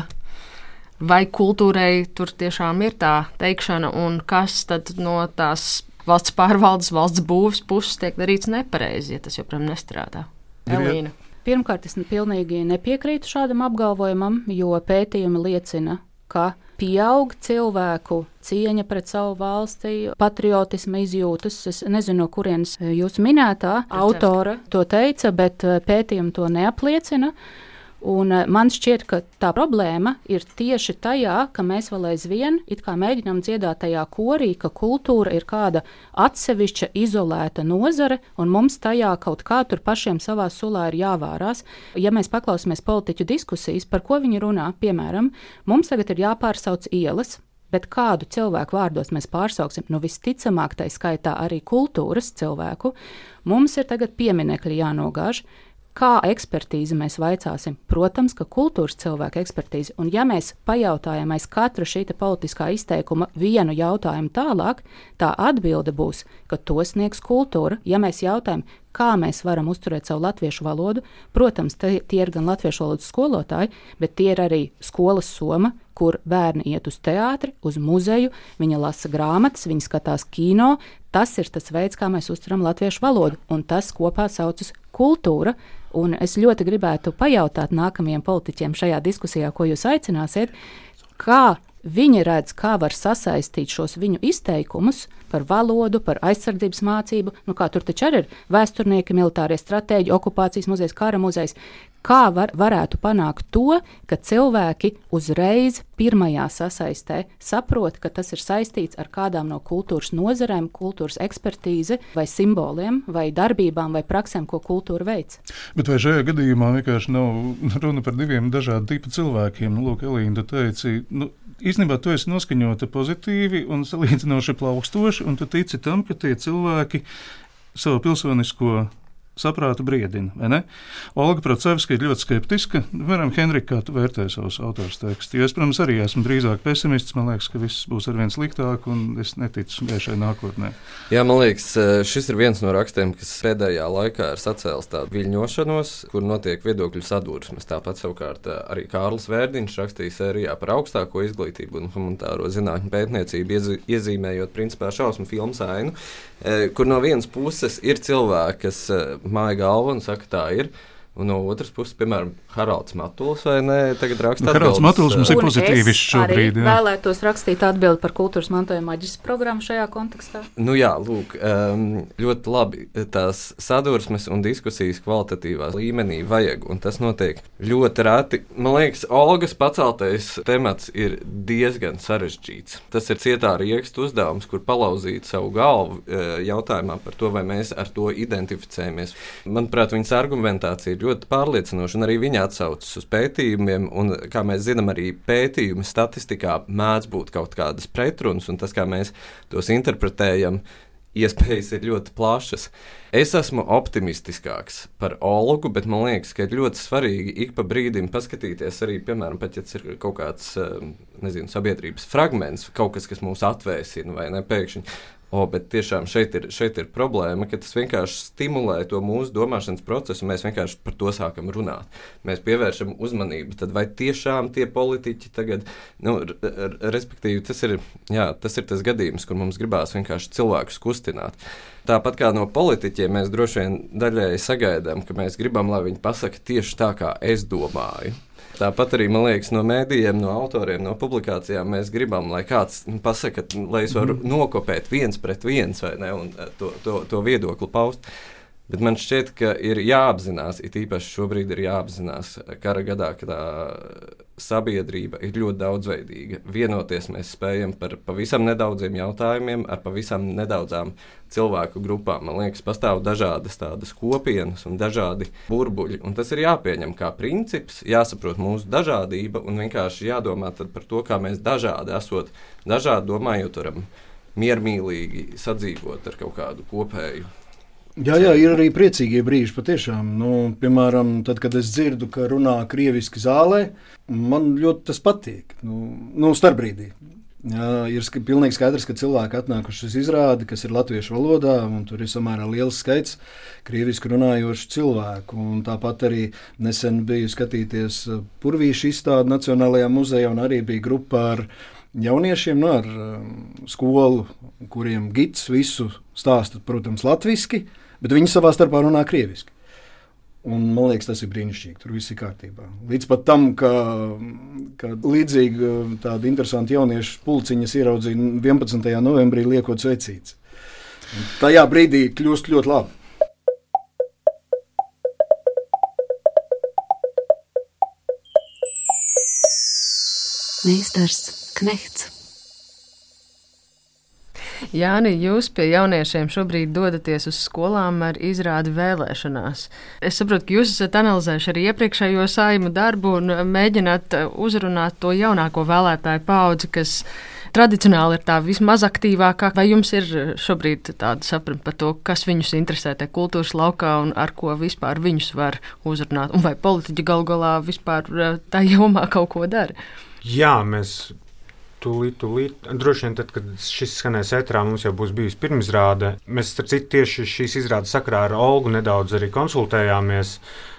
Speaker 3: vai kultūrai tur tiešām ir tā teikšana, un kas tad no tās valsts pārvaldes, valsts būvs puses tiek darīts nepareizi, ja tas joprojām nestrādā. Elīna.
Speaker 4: Pirmkārt, es pilnīgi nepiekrītu šādam apgalvojumam, jo pētījumi liecina, ka pieaug cilvēku cieņa pret savu valsti, patriotisma izjūtas. Es nezinu, no kurienes jūsu minētā autora to teica, bet pētījumi to neapliecina. Un man šķiet, ka tā problēma ir tieši tajā, ka mēs vēl aizvien it kā mēģinām dziedāt tajā korī, ka kultūra ir kāda atsevišķa, izolēta nozare, un mums tajā kaut kā tur pašiem savā sulā ir jāvārās. Ja mēs paklausāmies politiķu diskusijas, par ko viņi runā, piemēram, mums tagad ir jāpārsauc ielas, bet kādu cilvēku vārdos mēs pārsauksim, visticamāk tai skaitā arī kultūras cilvēku, mums ir tagad pieminekļi jānogāž. Kā ekspertīzi mēs vaicāsim? Protams, ka kultūras cilvēka ekspertīzi. Un ja mēs pajautājam aiz katra šī politiskā izteikuma vienu jautājumu tālāk, tā atbilde būs, ka to sniegs kultūra. Ja mēs jautājam, kā mēs varam uzturēt savu latviešu valodu, protams, tie ir gan latviešu valodas skolotāji, bet tie ir arī skolas soma, kur bērni iet uz teātri, uz muzeju, viņi lasa grāmatas, viņi skatās kino. Tas ir tas veids, kā mēs uzturam latviešu valodu, un tas kopā saucas kultūra. Un es ļoti gribētu pajautāt nākamajiem politiķiem šajā diskusijā, ko jūs aicināsiet, kā viņi redz, kā var sasaistīt šos viņu izteikumus par valodu, par aizsardzības mācību, kā tur taču arī ir vēsturnieki, militārie stratēģi, okupācijas muzejs, kara muzejs. Kā varētu panākt to, ka cilvēki uzreiz pirmajā sasaistē saprot, ka tas ir saistīts ar kādām no kultūras nozarēm, kultūras ekspertīzi vai simboliem, vai darbībām, vai praksēm, ko kultūra veic.
Speaker 2: Bet vai šajā gadījumā vienkārši nav runa par diviem dažādu tipu cilvēkiem? Lūk, Elīna, tu teici, īstenībā tu esi noskaņota pozitīvi un salīdzinoši plaukstoši, un tu tici tam, ka tie cilvēki savu pilsonisko saprātu briedina, vai ne? Olga Procevska ir ļoti skeptiska. Piemēram, Henrika, kā tu vērtē savus autors tekstu? Jo es, protams, arī esmu drīzāk pesimists. Man liekas, ka viss būs arvien sliktāk, un es neticu gaišai nākotnē.
Speaker 7: Jā, man liekas, šis ir viens no rakstiem, kas pēdējā laikā ir sacēlis tādu viļņošanos, kur notiek viedokļu sadursmes. Tāpat savukārt arī Kārlis Vērdiņš rakstīja sērijā par augstāko izglītību un humanitāro zinātņu pētniecību, iezīmējot principā šausmu filmu Ainu, kur no vienas puses ir cilvēki, kas māja galvu un saka, tā ir. Un no otras puses, piemēram, Haralds Matuls, vai ne, tagad raksta atbildes. Haralds
Speaker 2: Matuls mums ir pozitīvis šobrīd.
Speaker 4: Es arī vēlētos rakstīt atbildi par kultūras mantojuma maģistra programmu šajā kontekstā.
Speaker 7: Jā, lūk, ļoti labi tās sadursmes un diskusijas kvalitatīvā līmenī vajag, un tas notiek ļoti reti. Man liekas, Olgas paceltais temats ir diezgan sarežģīts. Tas ir cietā riekstu uzdevums, kur palauzīt savu galvu jautājumā par to, vai mēs ar to identificējamies. Manuprāt, viņas argumentācija ļoti pārliecinoši, un arī viņa atsaucas uz pētījumiem, un, kā mēs zinām, arī pētījumi statistikā mēdz būt kaut kādas pretrunas, un tas, kā mēs tos interpretējam, iespējas ir ļoti plašas. Es esmu optimistiskāks par Olgu, bet man liekas, ka ir ļoti svarīgi ik pa brīdim paskatīties arī, piemēram, pat ja tas ir kaut kāds, sabiedrības fragments, kaut kas, kas mūs atvēsina vai ne pēkšņi. Bet tiešām šeit ir problēma, ka tas vienkārši stimulē to mūsu domāšanas procesu, un mēs vienkārši par to sākam runāt. Mēs pievēršam uzmanību, tad vai tiešām tie politiķi tagad, respektīvi, tas ir tas gadījums, kur mums gribās vienkārši cilvēkus kustināt. Tāpat kā no politiķiem mēs droši vien daļēji sagaidām, ka mēs gribam, lai viņi pasaka tieši tā, kā es domāju. Tāpat arī, man liekas, no mēdījiem, no autoriem, no publikācijām mēs gribam, lai kāds pasaka, lai es varu nokopēt viens pret viens vai ne, un to viedokli paust. Bet man šķiet, ka ir jāapzinās, it īpaši šobrīd ir jāapzinās kara gadā, ka tā sabiedrība ir ļoti daudzveidīga. Vienoties mēs spējam par pavisam nedaudziem jautājumiem, ar pavisam nedaudzām cilvēku grupām. Man liekas, pastāv dažādas tādas kopienas un dažādi burbuļi, un tas ir jāpieņem kā princips, jāsaprot mūsu dažādība un vienkārši jādomā tad par to, kā mēs dažādi esot, dažādi domājot, varam miermīlīgi sadzīvot ar kaut kādu kopēju.
Speaker 5: Jā, ir arī priecīgie brīži patiešām. Piemēram, tad, kad es dzirdu, ka runā krieviski zālē, man ļoti tas patīk. Starpbrīdī. Ir pilnīgi skaidrs, ka cilvēki atnākuši uz izrādi, kas ir latviešu valodā, un tur ir samērā liels skaits krieviski runājošu cilvēku. Un tāpat arī nesen biju skatīties Purvīšu izstādi Nacionālajā muzejā, un arī bija grupa ar jauniešiem, ar skolu, kuriem gids visu stāsta, protams, latviski, bet viņi savā starpā runā krieviski. Un, man liekas, tas ir brīnišķīgi. Tur viss ir kārtībā. Līdz pat tam, ka līdzīgi tāda interesanta jauniešu pulciņas ieraudzīja 11. novembrī liekot svecītes. Tajā brīdī kļūst ļoti labi.
Speaker 1: Meistars Knechts.
Speaker 3: Jāni, jūs pie jauniešiem šobrīd dodaties uz skolām ar izrādi vēlēšanās. Es saprotu, ka jūs esat analizējuši arī iepriekšējo Saeimu darbu un mēģināt uzrunāt to jaunāko vēlētāju paudzi, kas tradicionāli ir tā vismaz aktīvākā. Vai jums ir šobrīd tāda sapratne par to, kas viņus interesē te kultūras laukā un ar ko vispār viņus var uzrunāt? Un vai politiķi galu galā vispār tā jomā kaut ko dara?
Speaker 8: Jā, mēs tūlīt. Droši vien tad, kad šis skanēs ēterā, mums jau būs bijusi pirmizrāde. Mēs, starp citu, tieši šīs izrādes sakarā ar Olgu nedaudz arī konsultējāmies.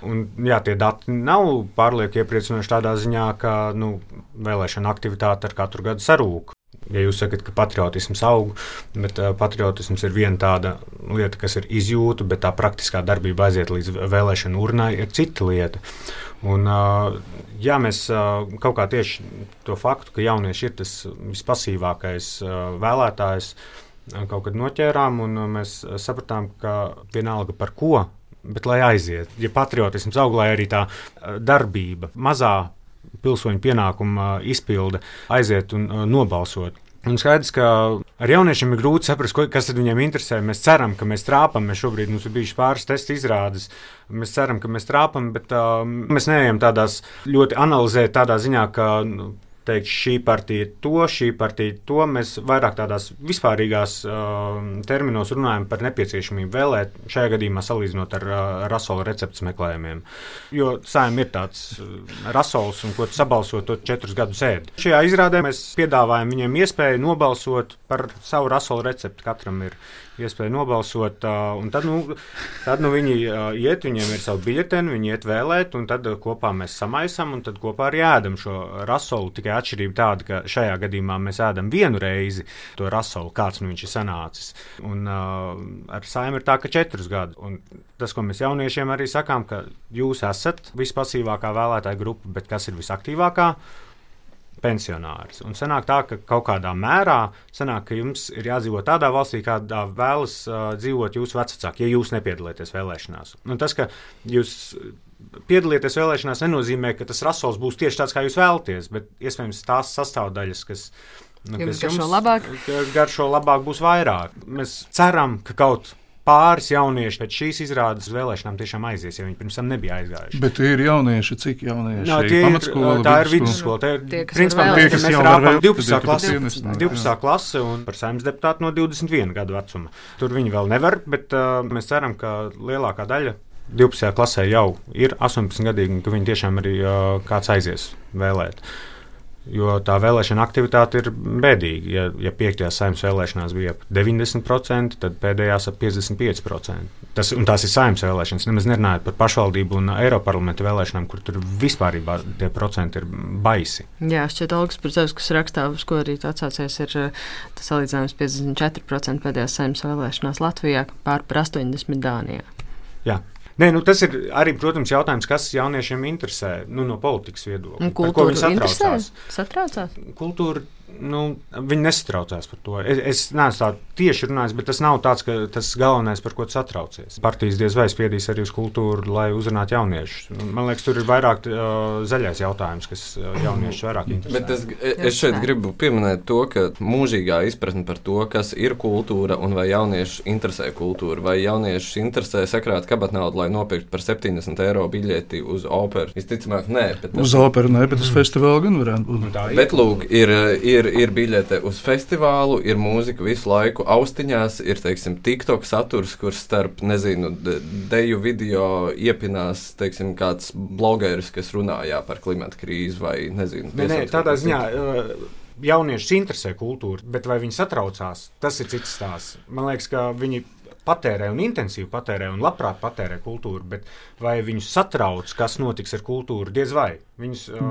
Speaker 8: Un, jā, tie dati nav pārlieku iepriecinoši tādā ziņā, ka vēlēšana aktivitāte ar katru gadu sarūk. Ja jūs sakat, ka patriotisms aug, bet patriotisms ir viena tāda lieta, kas ir izjūta, bet tā praktiskā darbība aiziet līdz vēlēšanu urnai, ir cita lieta. Un, jā, mēs kaut kā tieši to faktu, ka jaunieši ir tas vispasīvākais vēlētājs, kaut kad noķērām, un mēs sapratām, ka vienalga par ko, bet lai aiziet. Ja patriotisms aug, lai arī tā darbība, mazā pilsoņu pienākuma izpilde aiziet un nobalsot. Un skaidrs, ka ar jauniešiem ir grūti saprast, kas tad viņiem interesē. Mēs ceram, ka mēs trāpam. Šobrīd mums ir bijušas pāris testu izrādes. Mēs ceram, ka mēs trāpam, bet mēs neejam tādās ļoti analizēt tādā ziņā, ka teikt, šī partija ir to. Mēs vairāk tādās vispārīgās terminos runājam par nepieciešamību vēlēt, šajā gadījumā salīdzinot ar rasola receptes meklējumiem. Jo Saeim ir tāds rasols, un ko tu sabalsot, to 4 gadus ēd. Šajā izrādē mēs piedāvājam viņiem iespēju nobalsot par savu rasola recepti. Katram ir iespēja nobalsot, un tad viņi iet, viņiem ir savu biļeteni, viņi iet vēlēt, un tad kopā mēs samaisam, un tad kopā arī ēdam šo rasolu. Tikai atšķirība tāda, ka šajā gadījumā mēs ēdam vienu reizi to rasolu, kāds viņš ir sanācis. Un ar Saimu ir tā, ka 4 gadu. Un tas, ko mēs jauniešiem arī sakām, ka jūs esat vispasīvākā vēlētāja grupa, bet kas ir visaktīvākā? Pensionārs. Un sanāk tā, ka kaut kādā mērā sanāk, ka jums ir jādzīvot tādā valstī, kādā vēlas dzīvot jūsu vecvecāki, ja jūs nepiedalieties vēlēšanās. Un tas, ka jūs piedalieties vēlēšanās, nenozīmē, ka tas rasols būs tieši tāds, kā jūs vēlaties, bet iespējams tās sastāvdaļas, kas garšo labāk, būs vairāk. Mēs ceram, ka kaut pāris jaunieši pēc šīs izrādes vēlēšanām tiešām aizies, ja viņi pirms tam nebija aizgājuši.
Speaker 2: Bet tie ir jaunieši, cik jaunieši?
Speaker 8: Pamatskola, tā ir vidusskola. Tā ir, principā, mēs rāpam 12. klase un par Saeimas deputātu no 21 gadu vecuma. Tur viņi vēl nevar, bet mēs ceram, ka lielākā daļa 12. klasē jau ir 18 gadīgi, un ka viņi tiešām arī kāds aizies vēlēt. Jo tā vēlēšana aktivitāte ir bēdīga. Ja 5. Saeimas vēlēšanās bija ap 90%, tad pēdējās ap 55%. Tās ir Saeimas vēlēšanas. Nemaz nerunājot par pašvaldību un Eiroparlamenta vēlēšanām, kur tur vispārībā tie procenti ir baisi.
Speaker 3: Jā, šķiet, Olgas Purzevs, kas rakstā, uz ko arī atsaucies, ir tas salīdzinājums 54% pēdējās Saeimas vēlēšanās Latvijā, pār 80% Dānijā.
Speaker 8: Jā. Nē, tas ir arī, protams, jautājums, kas jauniešiem interesē no politikas viedokļa.
Speaker 3: Par ko viņi satraucās?
Speaker 8: Kultūra, viņi nesatraucās par to. Es neesmu tā tieši runājis, bet tas nav tāds, ka tas galvenais, par ko tu satraucies. Partijas diez vai spiedīs arī uz kultūru, lai uzrunātu jauniešus. Man liekas, tur ir vairāk zaļais jautājums, kas jauniešus vairāk interesē.
Speaker 7: Bet es šeit gribu pieminēt to, ka mūžīgā izpratne par to, kas ir kultūra un vai jauniešu interesē kultūra, vai jauniešus interesē sakrāt kabatnaudu, lai nopirkt par 70 eiro biļeti uz operu. Visticamāk, nē.
Speaker 2: Uz operu nē, bet uz festivālu gan varētu būt.
Speaker 7: Bet lūk, ir biļete uz festivālu, ir mūzika visu laiku austiņās, ir, teiksim, TikTok saturs, kurš starp, deju video iepinās, teiksim, kāds blogeris, kas runājā par klimata krīzi vai,
Speaker 8: Tādā ziņā jauniešus interesē kultūra, bet vai viņi satraucās, tas ir cits stāsts. Man liekas, ka viņi patērē un intensīvi patērē un labprāt patērē kultūru, bet vai viņus satrauc, kas notiks ar kultūru, diez vai.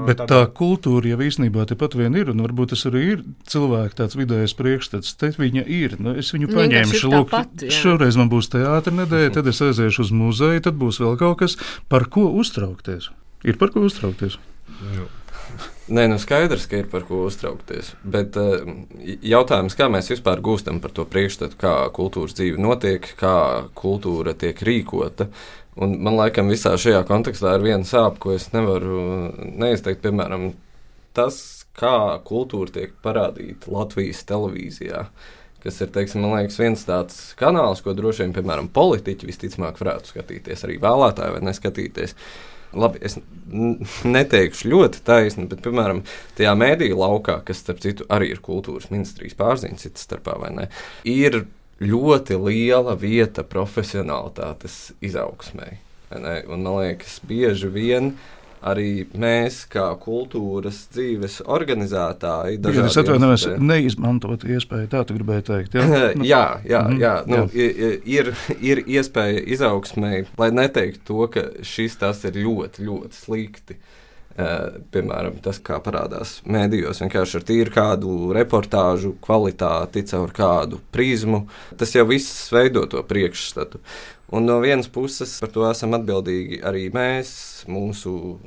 Speaker 2: Bet tā kultūra jau īstenībā tepat vien ir, un varbūt tas arī ir cilvēka tāds vidējais priekšstats. Te viņa ir. Es viņu paņemšu. Lūk, šoreiz man būs teātra nedēļa, tad es aiziešu uz muzeju, tad būs vēl kaut kas, par ko uztraukties. Ir par ko uztraukties?
Speaker 7: Nē, skaidrs, ka ir par ko uztraukties. Bet jautājums, kā mēs vispār gūstam par to priekšstatu, kā kultūras dzīve notiek, kā kultūra tiek rīkota. Un man laikam visā šajā kontekstā ir viena sāpe, ko es nevaru neizteikt. Piemēram, tas, kā kultūra tiek parādīta Latvijas televīzijā, kas ir, teiksim, man liekas, viens tāds kanāls, ko droši vien, piemēram, politiķi visticamāk varētu skatīties, arī vēlētāji vai neskatīties. Labi, es neteikšu ļoti taisni, bet, piemēram, tajā mēdīju laukā, kas, starp citu, arī ir kultūras ministrijas pārziņas citas starpā, vai ne, ir ļoti liela vieta profesionalitātes izaugsmei. Un, man liekas, bieži vien arī mēs, kā kultūras dzīves organizētāji,
Speaker 2: es atvainojos, neizmantot iespēju, tā tu gribēji teikt. Ja? Ir iespēja izaugsmei, lai neteiktu to, ka tas ir ļoti, ļoti slikti. Piemēram, tas, kā parādās mēdījos, vienkārši ar tīru kādu reportāžu kvalitāti, caur kādu prizmu, tas jau viss veido to priekšstatu. Un no vienas puses par to esam atbildīgi arī mēs, mūsu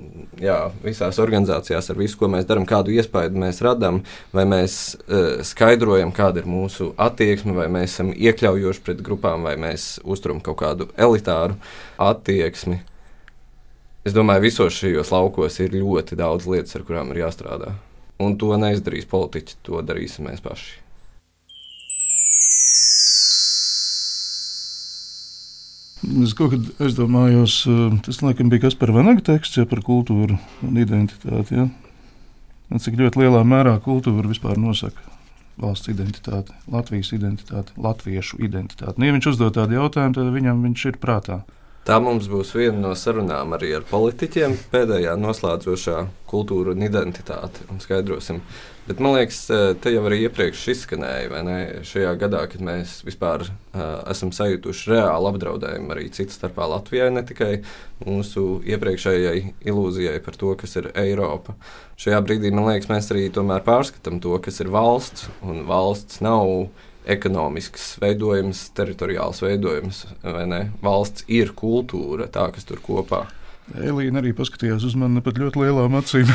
Speaker 2: visās organizācijās ar visu, ko mēs darām, kādu iespaidu mēs radām, vai mēs skaidrojam, kāda ir mūsu attieksme, vai mēs esam iekļaujoši pret grupām, vai mēs uzturam kaut kādu elitāru attieksmi. Es domāju, visos šajos laukos ir ļoti daudz lietas, ar kurām ir jāstrādā. Un to neizdarīs politiķi, to darīsim mēs paši. Es kaut kad aizdomājos, tas laikam bija Kaspara Vanaga teksts par kultūru un identitāti. Ja? Cik ļoti lielā mērā kultūra vispār nosaka valsts identitāti, Latvijas identitāti, latviešu identitāti. Ja viņš uzdod tādu jautājumu, tad viņš ir prātā.
Speaker 7: Tā mums būs viena no sarunām arī ar politiķiem, pēdējā noslēdzošā kultūra un identitāte, un skaidrosim. Bet man liekas, te jau arī iepriekš izskanēja, vai ne, šajā gadā, kad mēs vispār esam sajutuši reāli apdraudējumu arī citu starpā Latvijai, ne tikai mūsu iepriekšējai ilūzijai par to, kas ir Eiropa. Šajā brīdī, man liekas, mēs arī tomēr pārskatām to, kas ir valsts, un valsts nav ekonomisks veidojums, teritoriāls veidojums, vai ne? Valsts ir kultūra, tā, kas tur kopā.
Speaker 2: Elīna arī paskatījās uz mani pat ļoti lielām acīm.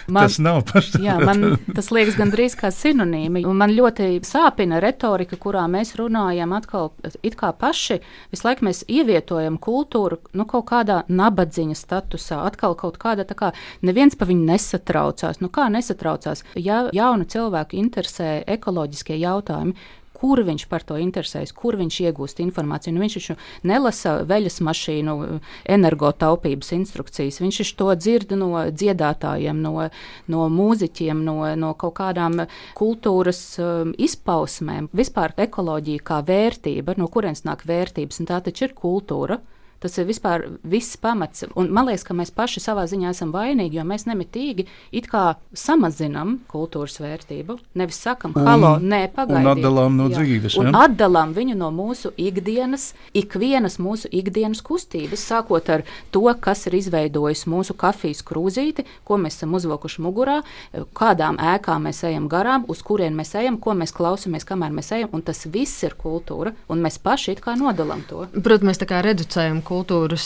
Speaker 2: Tas nav pašsaprotami.
Speaker 4: Jā, man tas liekas gandrīz kā sinonīmi. Un man ļoti sāpina retorika, kurā mēs runājam atkal it kā paši. Visu laiku mēs ievietojam kultūru kaut kādā nabadzīņa statusā. Atkal kaut kāda tā kā neviens pa viņu nesatraucās. Kā nesatraucās? Ja jaunu cilvēku interesē ekoloģiskie jautājumi, kur viņš par to interesējas, kur viņš iegūst informāciju. Viņš taču nelasa veļas mašīnu energotaupības instrukcijas. Viņš to dzird no dziedātājiem, no mūziķiem, no kaut kādām kultūras izpausmēm. Vispār ekoloģija kā vērtība, no kurienes nāk vērtības, un tā taču ir kultūra. Tas ir vispār viss pamats. Un man liekas, ka mēs paši savā ziņā esam vainīgi, jo mēs nemitīgi it kā samazinam kultūras vērtību. Nevis sakam, halo, nē, pagaidiet.
Speaker 2: Un atdalām no dzīves.
Speaker 4: Un atdalām viņu no mūsu ikdienas, ikvienas mūsu ikdienas kustības, sākot ar to, kas ir izveidojis mūsu kafijas krūzīti, ko mēs esam uzvilkuši mugurā, kādām ēkām mēs ejam garām, uz kurien mēs ejam, ko mēs klausamies, kamēr mēs ejam, un tas viss ir kultūra, un mēs paši it kā nodalām to.
Speaker 3: Protams, mēs tā kā reducējam kultūras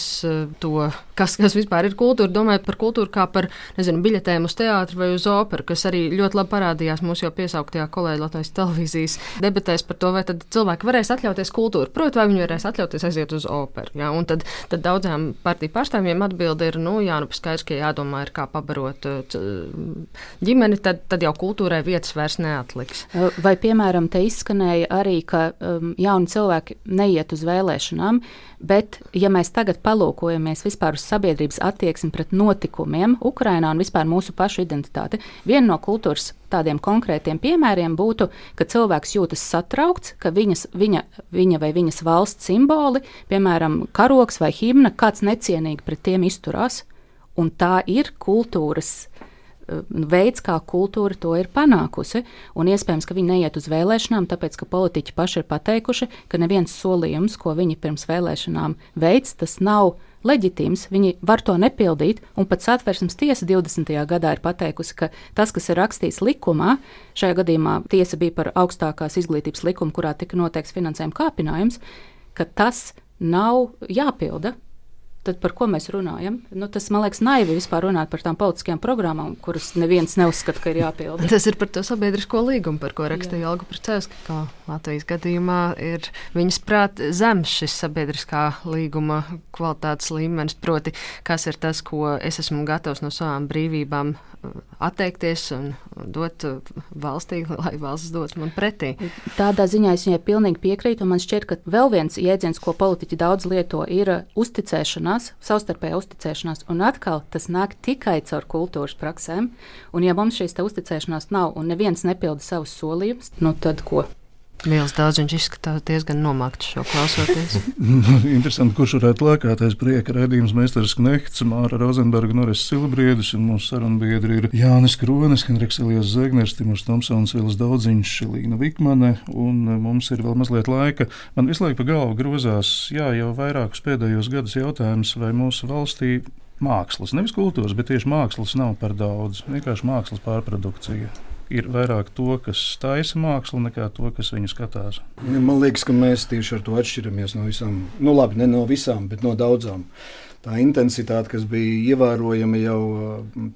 Speaker 3: to, kas vispār ir kultūra, domājot par kultūru kā par, biļetēm uz teātru vai uz operu, kas arī ļoti labi parādījās mūsu jau piesauktajā kolēģi Latvijas televīzijas debatēs par to, vai tad cilvēki varēs atļauties kultūru. Protams, vai viņi varēs atļauties aiziet uz operu. Ja? Un tad daudzām partiju pārstāvjiem atbilde ir, skaidrs, ka jādomā ir kā pabarot ģimeni, tad jau kultūrai vietas vairs neatliks.
Speaker 4: Vai, piemēram, te izskanēja arī, ka jauni cilvēki neiet uz vēlēšanām, bet, ja mēs tagad palūkojamies vispār uz sabiedrības attieksmi pret notikumiem Ukrainā un vispār mūsu pašu identitāti, viena no kultūras tādiem konkrētiem piemēriem būtu, ka cilvēks jūtas satraukts, ka viņa vai viņas valsts simboli, piemēram, karogs vai himna, kāds necienīgi pret tiem izturās, un tā ir kultūras veids, kā kultūra to ir panākusi. Un iespējams, ka viņi neiet uz vēlēšanām, tāpēc, ka politiķi paši ir pateikuši, ka neviens solījums, ko viņi pirms vēlēšanām veids, tas nav leģitīms, viņi var to nepildīt, un pat Satversmes tiesa 20. gadā ir pateikusi, ka tas, kas ir rakstīts likumā, šajā gadījumā tiesa bija par augstākās izglītības likumu, kurā tika noteikts finansējuma kāpinājums, ka tas nav jāpilda. Tad par ko mēs runājam? Tas, man liekas, naivi vispār runāt par tām politiskajām programmām, kuras neviens neuzskata, ka ir jāpilda.
Speaker 3: Tas ir par to sabiedrisko līgumu, par ko rakstīja Olga Pricevska, ka Latvijas gadījumā ir viņas prāt zems šis sabiedriskā līguma kvalitātes līmenis, proti, kas ir tas, ko es esmu gatavs no savām brīvībām atteikties un dot valstī, lai valsts dod man pretī.
Speaker 4: Tādā ziņā es viņai pilnīgi piekrītu, un man šķiet, ka vēl viens jēdziens, ko politiķi daudz lieto, ir uzticēšanās, savstarpēja uzticēšanās, un atkal tas nāk tikai caur kultūras praksēm, un ja mums šīs uzticēšanās nav un neviens nepilda savus solījumus, tad ko?
Speaker 3: Vīls Daudziņš izskatās diezgan nomākts šo klausoties.
Speaker 2: Interesanti, kurš varētu lēkāties prieka raidījums Meistars Knehts, Māra Rozenberga, Noris Silbriedis, un mūsu sarunbiedri ir Jānis Kronis, Henriks Elijas Zegners, Timurs Tomsons, Vīls Daudziņš, Līna Vikmane, un mums ir vēl mazliet laika. Man visu laiku pa galvu grozās, jau vairākus pēdējos gadus jautājums, vai mūsu valstī mākslas, nevis kultūras, bet tieši mākslas nav par daudz, vienkārši mākslas pārprodukcija. Ir vairāk to, kas taisa mākslu, nekā to, kas viņu skatās.
Speaker 5: Man liekas, ka mēs tieši ar to atšķiramies no visām, ne no visām, bet no daudzām. Tā intensitāte, kas bija ievērojama jau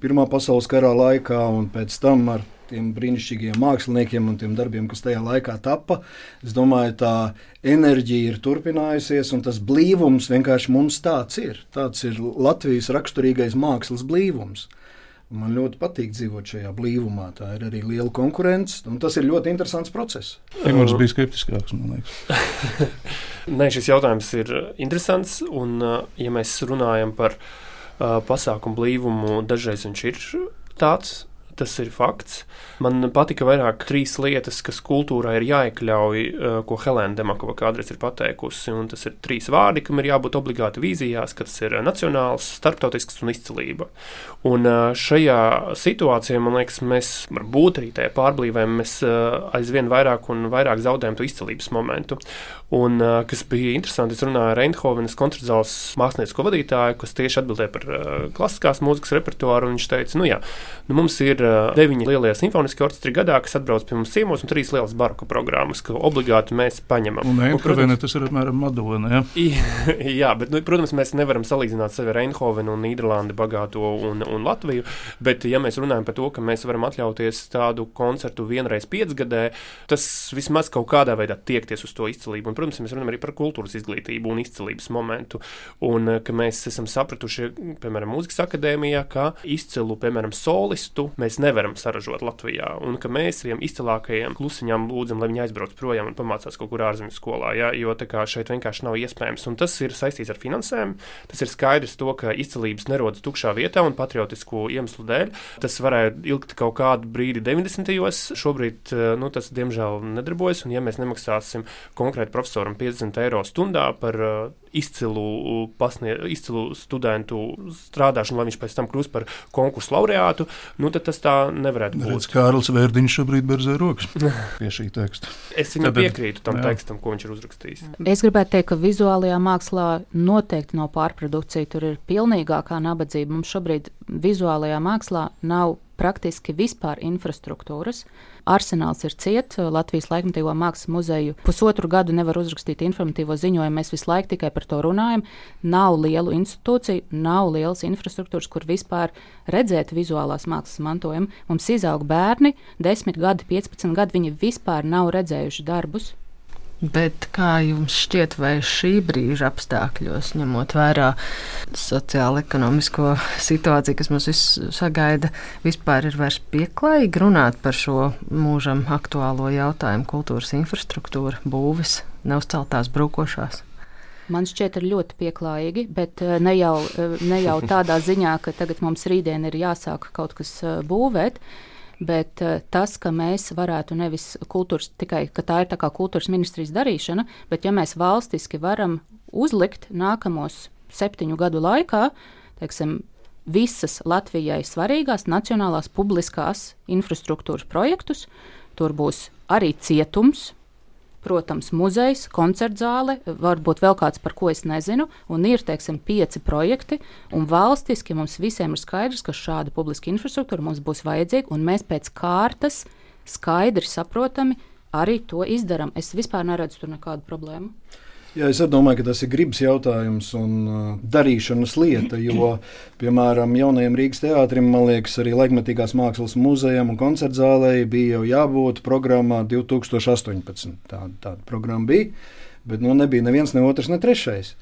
Speaker 5: Pirmā pasaules kara laikā un pēc tam ar tiem brīnišķīgiem māksliniekiem un tiem darbiem, kas tajā laikā tappa, es domāju, tā enerģija ir turpinājusies un tas blīvums vienkārši mums tāds ir. Tāds ir Latvijas raksturīgais mākslas blīvums. Man ļoti patīk dzīvot šajā blīvumā. Tā ir arī liela konkurence, un tas ir ļoti interesants process.
Speaker 2: Timurs bija skeptiskāks, man liekas.
Speaker 6: Nē, šis jautājums ir interesants, un ja mēs runājam par pasākumu blīvumu, dažreiz viņš ir tāds. Tas ir fakts. Man patika vairāk 3 lietas, kas kultūrā ir jāiekļauj, ko Helēna Demakova kādreiz ir pateikusi. Un tas ir 3 vārdi, kam ir jābūt obligāti vīzijās, ka tas ir nacionāls, starptautisks un izcilība. Un šajā situācijā, man liekas, mēs varbūt arī tajā pārblīvēm mēs aizvien vairāk un vairāk zaudējam to izcilības momentu. Un kas bija interesanti, es runāju ar Eindhovenas koncertzāles māksliniecisko vadītāju, kas tieši atbildēja par klasiskās mūzikas repertuāru, un viņš teica, mums ir 9 lielie simfoniskie orķestri gadā, kas atbrauc pie mums ciemos, un 3 lielas baroka programmas, ko obligāti mēs paņemam.
Speaker 2: Un Eindhovena tas ir apmēram Madona, ja?
Speaker 6: Jā, bet, protams, mēs nevaram salīdzināt sevi ar Eindhovenu un Nīderlandi bagāto un Latviju, bet ja mēs runājam par to, ka mēs varam atļauties tādu koncertu vienreiz 5 gadē, tas vismaz kaut kādā veidā tiekties uz to izcilību. Un, protams, mēs runājam arī par kultūras izglītību un izcilības momentu, un ka mēs esam sapratuši, piemēram, Mūzikas akadēmijā, ka izcilu, piemēram, solistu mēs nevaram saražot Latvijā, un ka mēs saviem izcilākajiem klusiņām lūdzam, lai viņi aizbrauc projām un pamācās kaut kur ārzemju skolā, ja? Jo tā kā šeit vienkārši nav iespējams, un tas ir saistīts ar finansēm. Tas ir skaidrs to, ka izcilības nerodas tukšā vietā un patriotisku iemeslu dēļ. Tas varēja ilgt kaut kādu brīdi 90. Šobrīd, tas diemžēl nedarbojas, un ja mēs nemaksāsim konkrēti profesoram 50 eiro stundā par izcilu studentu strādāšanu, lai viņš pēc tam kļūst par konkursu laureātu, tad tas tā nevarētu būt.
Speaker 2: Redz, Kārlis Vērdiņš šobrīd berzē rokas pie šī teksta.
Speaker 6: Es viņam piekrītu tam tekstam, ko viņš ir uzrakstījis.
Speaker 4: Es gribētu teikt, ka vizuālajā mākslā noteikti nav pārprodukcija, tur ir pilnīgākā nabadzība. Mums šobrīd vizuālajā mākslā nav praktiski vispār infrastruktūras. Arsenāls ir ciet, Latvijas laikmatīgo mākslas muzeju 1,5 gadu nevar uzrakstīt informatīvo ziņojumu, mēs visu laiku tikai par to runājam. Nav lielu institūciju, nav lielas infrastruktūras, kur vispār redzēt vizuālās mākslas mantojumu. Mums izaug bērni, 10 gadi, 15 gadi, viņi vispār nav redzējuši darbus.
Speaker 3: Bet kā jums šķiet, vai šī brīža apstākļos, ņemot vērā sociālo-ekonomisko situāciju, kas mums sagaida, vispār ir vairs pieklājīgi runāt par šo mūžam aktuālo jautājumu kultūras infrastruktūra, būvis, neuzceltās brūkošās?
Speaker 4: Man šķiet, ir ļoti pieklājīgi, bet ne jau tādā ziņā, ka tagad mums rītdien ir jāsāk kaut kas būvēt. Bet tas, ka mēs varētu nevis kultūras, tikai ka tā ir tā kā kultūras ministrijas darīšana, bet ja mēs valstiski varam uzlikt nākamos 7 gadu laikā, teiksim, visas Latvijai svarīgās nacionālās publiskās infrastruktūras projektus. Tur būs arī cietums, protams, muzejs, koncertzāle, varbūt vēl kāds, par ko es nezinu, un ir, teiksim, 5 projekti, un valstiski mums visiem ir skaidrs, ka šāda publiska infrastruktūra mums būs vajadzīga, un mēs pēc kārtas skaidri saprotami arī to izdaram. Es vispār neredzu tur nekādu problēmu.
Speaker 5: Jā, es domāju, ka tas ir gribas jautājums un darīšanas lieta, jo, piemēram, jaunajam Rīgas teātrim, man liekas, arī Laikmetīgās mākslas muzejam un koncertzālei bija jau jābūt programmā 2018. Tāda programma bija, bet nebija neviens, ne otrs, ne trešais.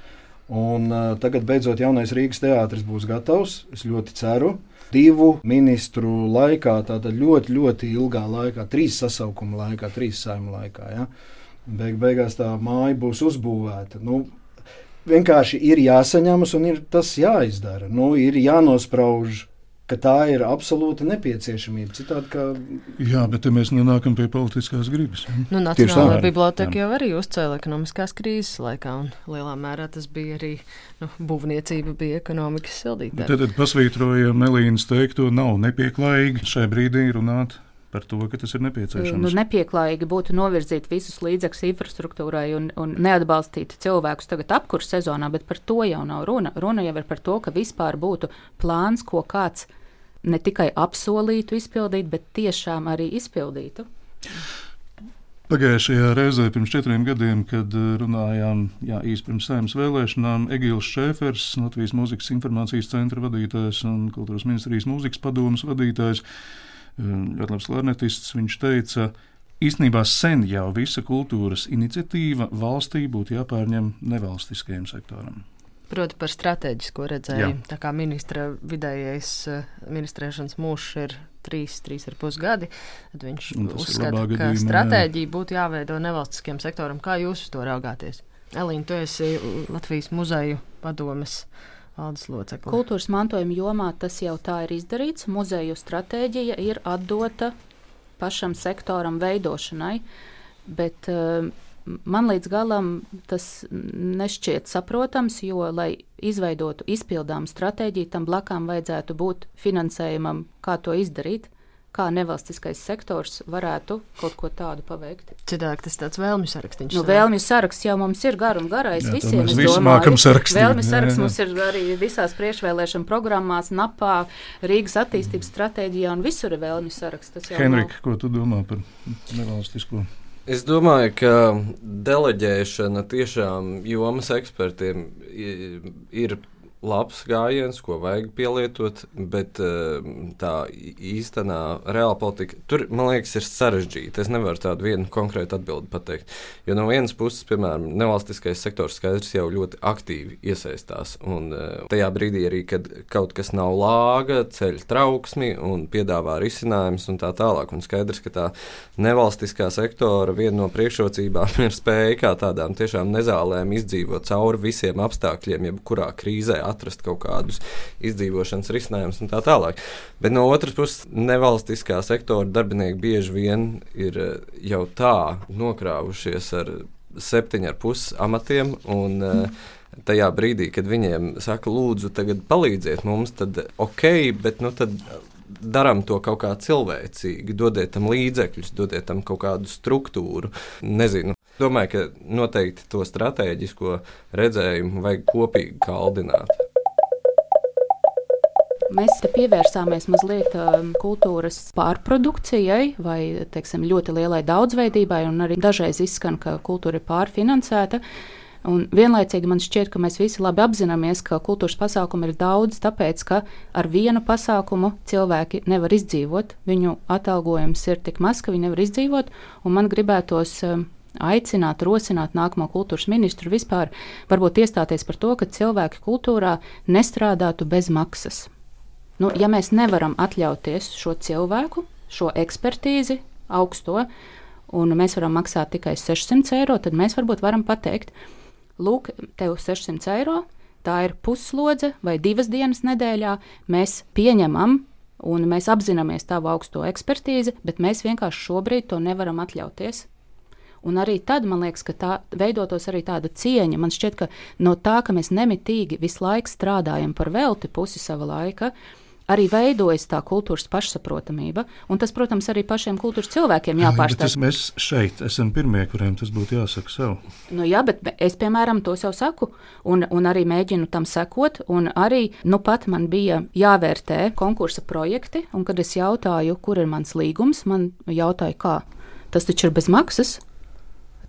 Speaker 5: Un tagad beidzot jaunais Rīgas teātris būs gatavs, es ļoti ceru. 2 ministru laikā, tātad ļoti, ļoti ilgā laikā, 3 sasaukuma laikā, 3 saima laikā, ja? Beigās tā māja būs uzbūvēta. Vienkārši ir jāsaņemas un ir tas jāizdara. Ir jānosprauž, ka tā ir absolūta nepieciešamība. Citādi, ka...
Speaker 2: Jā, bet te mēs nonākam pie politiskās gribas.
Speaker 3: Nacionālā biblioteka jau arī uzcēla ekonomiskās krīzes laikā, un lielā mērā tas bija arī, būvniecība bija ekonomikas sildītāja.
Speaker 2: Tad pasvītrojam Elīnas teikto, nav nepieklājīgi šai brīdī runāt par to, ka tas ir nepieciešams.
Speaker 4: Nepieklājīgi būtu novirzīt visus līdzekļus infrastruktūrai un neatbalstīt cilvēkus tagad apkurss sezonā, bet par to jau nav runa. Runa jau ir par to, ka vispār būtu plāns, ko kāds ne tikai apsolītu izpildīt, bet tiešām arī izpildītu.
Speaker 2: Pagājušajā reizē pirms 4 gadiem, kad runājām īsti pirms Saeimas vēlēšanām, Egils Šēfers, Latvijas mūzikas informācijas centra vadītājs un Kultūras ministrijas mūzikas padomes vadītājs, ļoti labs klarnetists, viņš teica, īstenībā sen jau visa kultūras iniciatīva valstī būtu jāpārņem nevalstiskajam sektoram.
Speaker 3: Proti par stratēģisko redzējumu. Tā kā ministra vidējais ministrēšanas mūžs ir 3,5 gadi, tad viņš uzskata, ka stratēģija būtu jāveido nevalstiskajam sektoram. Kā jūs uz to raugāties? Elīna, tu esi Latvijas muzeju padomes valdes locekle.
Speaker 4: Kultūras mantojuma jomā tas jau tā ir izdarīts. Muzeju stratēģija ir atdota pašam sektoram veidošanai, bet man līdz galam tas nešķiet saprotams, jo, lai izveidotu izpildām stratēģiju, tam blakām vajadzētu būt finansējumam, kā to izdarīt, kā nevalstiskais sektors varētu kaut ko tādu paveikt.
Speaker 3: Citādi tas tāds vēlmju sarakstiņš.
Speaker 4: Vēlmju saraksts jau mums ir gar un garais visiem.
Speaker 2: Mēs visi mākam sarakstīt.
Speaker 4: Vēlmju saraksts mums ir arī visās priekšvēlēšana programmās, NAPā, Rīgas attīstības stratēģijā un visur ir vēlmju saraksts.
Speaker 2: Henrika, ko tu domā par nevalstisko?
Speaker 7: Es domāju, ka deleģēšana tiešām jomas ekspertiem ir labs gājiens, ko vajag pielietot, bet tā īstenā reāla politika, tur, man liekas, ir sarežģīta. Es nevaru tādu vienu konkrētu atbildi pateikt. Jo no vienas puses, piemēram, nevalstiskais sektors skaidrs jau ļoti aktīvi iesaistās. Un tajā brīdī arī, kad kaut kas nav lāga, ceļ trauksmi un piedāvā risinājumus un tā tālāk. Un skaidrs, ka tā nevalstiskā sektora viena no priekšrocībām ir spēja kā tādām tiešām nezālēm izdzīvot cauri visiem apstākļiem, jebkurā krīzē atrast kaut kādus izdzīvošanas risinājumus un tā tālāk. Bet no otras puses, nevalstiskā sektora darbinieki bieži vien ir jau tā nokrāvušies ar 7,5 amatiem un tajā brīdī, kad viņiem saka, lūdzu, tagad palīdziet mums, tad ok, bet tad darām to kaut kā cilvēcīgi, dodiet tam līdzekļus, dodiet tam kaut kādu struktūru, nezinu. Domāju, ka noteikti to stratēģisko redzējumu vajag kopīgi kaldināt.
Speaker 4: Mēs te pievērsāmies mazliet kultūras pārprodukcijai vai, teiksim, ļoti lielai daudzveidībai, un arī dažreiz izskan, ka kultūra ir pārfinansēta. Un vienlaicīgi man šķiet, ka mēs visi labi apzināmies, ka kultūras pasākumu ir daudz, tāpēc, ka ar vienu pasākumu cilvēki nevar izdzīvot. Viņu atalgojums ir tik maz, ka viņi nevar izdzīvot, un man gribētos aicināt, rosināt nākamo kultūras ministru vispār varbūt iestāties par to, ka cilvēki kultūrā nestrādātu bez maksas. Ja mēs nevaram atļauties šo cilvēku, šo ekspertīzi augsto, un mēs varam maksāt tikai 600 eiro, tad mēs varbūt varam pateikt, lūk, tev 600 eiro, tā ir puslodze vai 2 dienas nedēļā, mēs pieņemam un mēs apzināmies tavu augsto ekspertīzi, bet mēs vienkārši šobrīd to nevaram atļauties. Un arī tad, man liekas, ka tā veidotos arī tāda cieņa. Man šķiet, ka no tā, ka mēs nemitīgi visu laiku strādājam par velti pusi sava laika, arī veidojas tā kultūras pašsaprotamība. Un tas, protams, arī pašiem kultūras cilvēkiem jāpārstāv.
Speaker 2: Mēs šeit esam pirmie, kuriem tas būtu jāsaka sev.
Speaker 4: Nu jā, bet es, piemēram, to sev saku un arī mēģinu tam sekot. Un arī, pat man bija jāvērtē konkursa projekti, un kad es jautāju, kur ir mans līgums, man jautāja, kā? Tas taču ir bez maksas?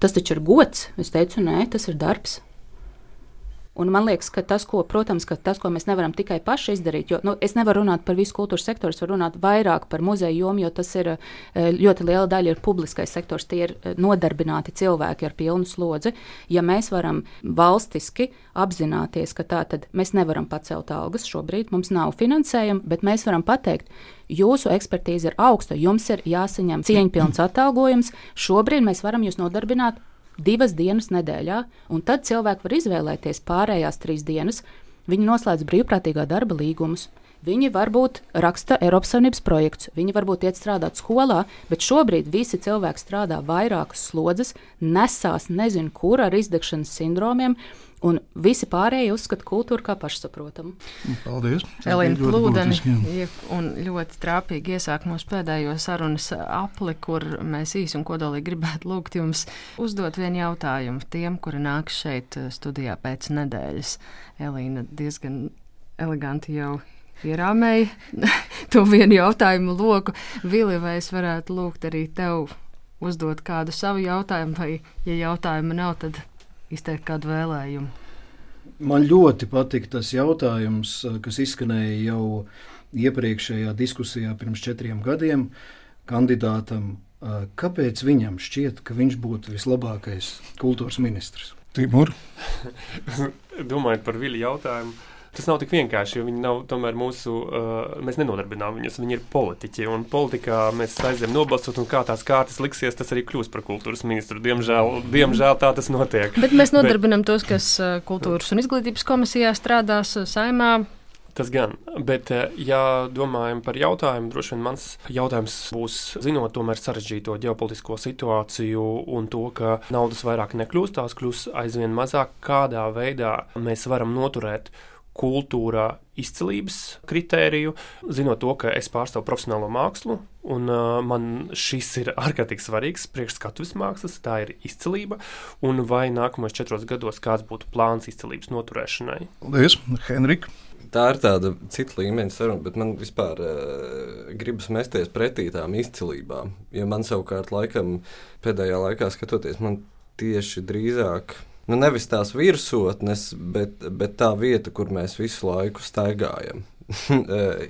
Speaker 4: Tas taču ir gods. Es teicu, nē, tas ir darbs. Un man liekas, ka tas, ko mēs nevaram tikai paši izdarīt, jo es nevaru runāt par visu kultūras sektoru, es varu runāt vairāk par muzeju jomu, jo tas ir ļoti liela daļa ir publiskais sektors, tie ir nodarbināti cilvēki ar pilnu slodzi. Ja mēs varam valstiski apzināties, ka tā tad mēs nevaram pacelt algas šobrīd, mums nav finansējuma, bet mēs varam pateikt, jūsu ekspertīze ir augsta, jums ir jāsaņem cieņpilns atalgojums, šobrīd mēs varam jūs nodarbināt 2 dienas nedēļā, un tad cilvēki var izvēlēties pārējās 3 dienas. Viņi noslēdz brīvprātīgā darba līgumus. Viņi varbūt raksta Eiropas Savienības projekts, viņi varbūt iet strādāt skolā, bet šobrīd visi cilvēki strādā vairākas slodzes, nesās nezinu kur ar izdegšanas sindromiem, un visi pārējie uzskata kultūru kā pašsaprotamu.
Speaker 2: Paldies!
Speaker 3: Elīna Plūdeni un ļoti trāpīgi iesāk mūsu pēdējo sarunas apli, kur mēs īsi un kodolīgi gribētu lūgt jums uzdot vienu jautājumu tiem, kuri nāk šeit studijā pēc nedēļas. Elīna diezgan eleganti jau ierāmēja to vienu jautājumu loku. Vili, vai es varētu lūgt arī tev uzdot kādu savu jautājumu, vai, ja jautājuma nav, tad izteikt kādu vēlējumu?
Speaker 5: Man ļoti patika tas jautājums, kas izskanēja jau iepriekšējā diskusijā pirms 4 gadiem kandidātam. Kāpēc viņam šķiet, ka viņš būtu vislabākais kultūras ministrs?
Speaker 2: Timur?
Speaker 6: Domājot par Vili jautājumu, tas nav tik vienkārši, jo viņi nav tomēr mēs nenodarbinām viņus, viņi ir politiķi, un politikā mēs aizējam nobalsot, un kā tās kārtas liksies, tas arī kļūs par kultūras ministru. Diemžēl tā tas notiek.
Speaker 3: Bet mēs nodarbinām tos, kas kultūras un izglītības komisijā strādās Saeimā.
Speaker 6: Tas gan, bet ja domājam par jautājumu, droši vien mans jautājums būs, zinot tomēr sarežģīto ģeopolitisko situāciju un to, ka naudas vairāk nekļūst, tās kļūs aizvien mazāk, kādā veidā mēs varam noturēt kultūrā izcilības kritēriju, zinot to, ka es pārstāvu profesionālo mākslu, un man šis ir ārkārtīgi svarīgs priekšskatuves mākslas, tā ir izcilība, un vai nākamajos 4 gados kāds būtu plāns izcilības noturēšanai?
Speaker 2: Paldies, Henrika!
Speaker 7: Tā ir tāda cita līmeņa saruna, bet man vispār gribas mesties pretī tām izcilībām, jo man savukārt laikam pēdējā laikā skatoties, man tieši drīzāk nevis tās virsotnes, bet tā vieta, kur mēs visu laiku staigājam,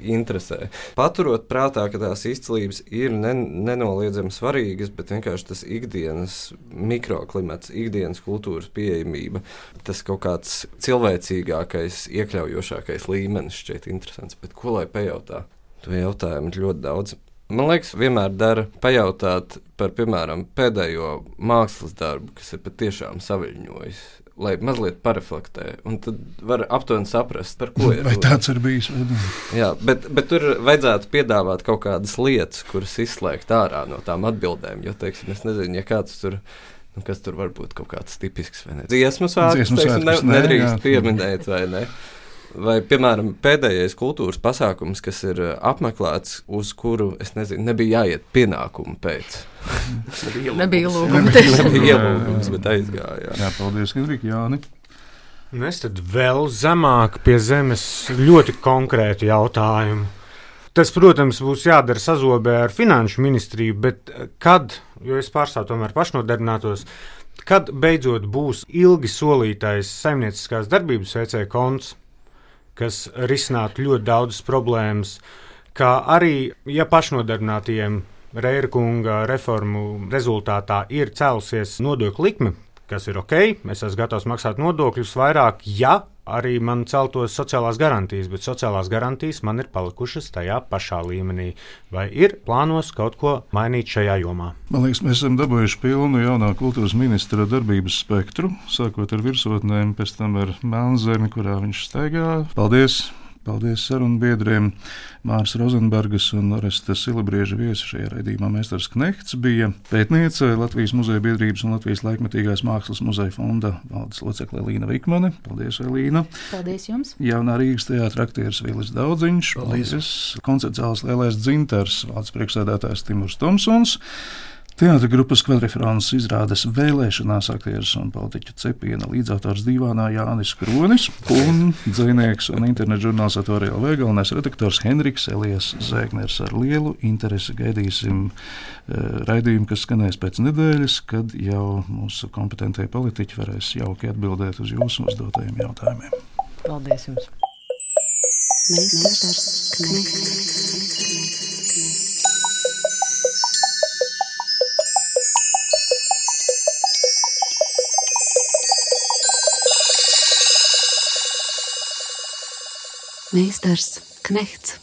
Speaker 7: interesē. Paturot prātā, ka tās izcilības ir nenoliedzami svarīgas, bet vienkārši tas ikdienas mikroklimats, ikdienas kultūras pieejamība, tas kaut kāds cilvēcīgākais, iekļaujošākais līmenis šķiet interesants. Bet ko lai pajautā? To jautājumu ir ļoti daudz. Man liekas, vienmēr dara pajautāt par, piemēram, pēdējo mākslas darbu, kas ir patiešām saviļņojis, lai mazliet pareflektē, un tad var aptuveni saprast, par ko ir.
Speaker 2: Vai tāds ir bijis?
Speaker 7: Jā, bet tur vajadzētu piedāvāt kaut kādas lietas, kuras izslēgt ārā no tām atbildēm, jo, teiksim, es nezinu, ja kāds tur, kas tur var būt kaut kāds tipisks, vai ne? Dziesmu svētkus, teiksim, nedrīkst pieminēt, vai ne? Vai, piemēram, pēdējais kultūras pasākums, kas ir apmeklēts, uz kuru, es nezinu, nebija jāiet pienākumu pēc.
Speaker 3: Nebija lūgums.
Speaker 7: Nebija ielūgums, bet aizgāja.
Speaker 2: Jā, paldies, Henrika. Jāni?
Speaker 8: Es tad vēl zemāk pie zemes ļoti konkrētu jautājumu. Tas, protams, būs jādara sazobē ar finanšu ministriju, bet kad, jo es pārstāvu tomēr pašnodarbinātos, kad beidzot būs ilgi solītais saimnieciskās darbības veicēja konts, kas risinātu ļoti daudzas problēmas, kā arī, ja pašnodarbinātiem Reira kunga reformu rezultātā ir cēlusies nodokļu likme, kas ir ok, es esmu gatavs maksāt nodokļus vairāk, ja arī man celtos sociālās garantijas, bet sociālās garantijas man ir palikušas tajā pašā līmenī. Vai ir plānos kaut ko mainīt šajā jomā?
Speaker 2: Man liekas, mēs esam dabūjuši pilnu jaunā kultūras ministra darbības spektru, sākot ar virsotnēm, pēc tam ar Melnzemi, kurā viņš staigā. Paldies Paldies sarunbiedriem. Māris Rozenbergas un Oresta Silibrieža viesi šajā raidījumā Meistars Knehts bija pētniece Latvijas muzeja biedrības un Latvijas laikmetīgās mākslas muzeja fonda valdes locekle Elīna Vikmane. Paldies, Elīna.
Speaker 4: Paldies jums.
Speaker 2: Jaunā Rīgas teātra aktieris Vilis Daudziņš. Paldies. Koncertzāles Lielais dzintars valdes priekšsēdētājs Timurs Tomsons. Teātra grupas Kvadrifrons izrādes vēlēšanās aktieris un politiķu Cepiena līdzautors Dīvānā Jānis Kronis un dzejnieks un internetu žurnāls Atorija LV galvenais redaktors Henriks Elijas Zēgners. Ar lielu interesi gaidīsim raidījumu, kas skanēs pēc nedēļas, kad jau mūsu kompetentie politiķi varēs jauki atbildēt uz jūsu uzdotajiem jautājumiem.
Speaker 3: Paldies jums!
Speaker 1: Meistars Knehts. Meistars Knehts.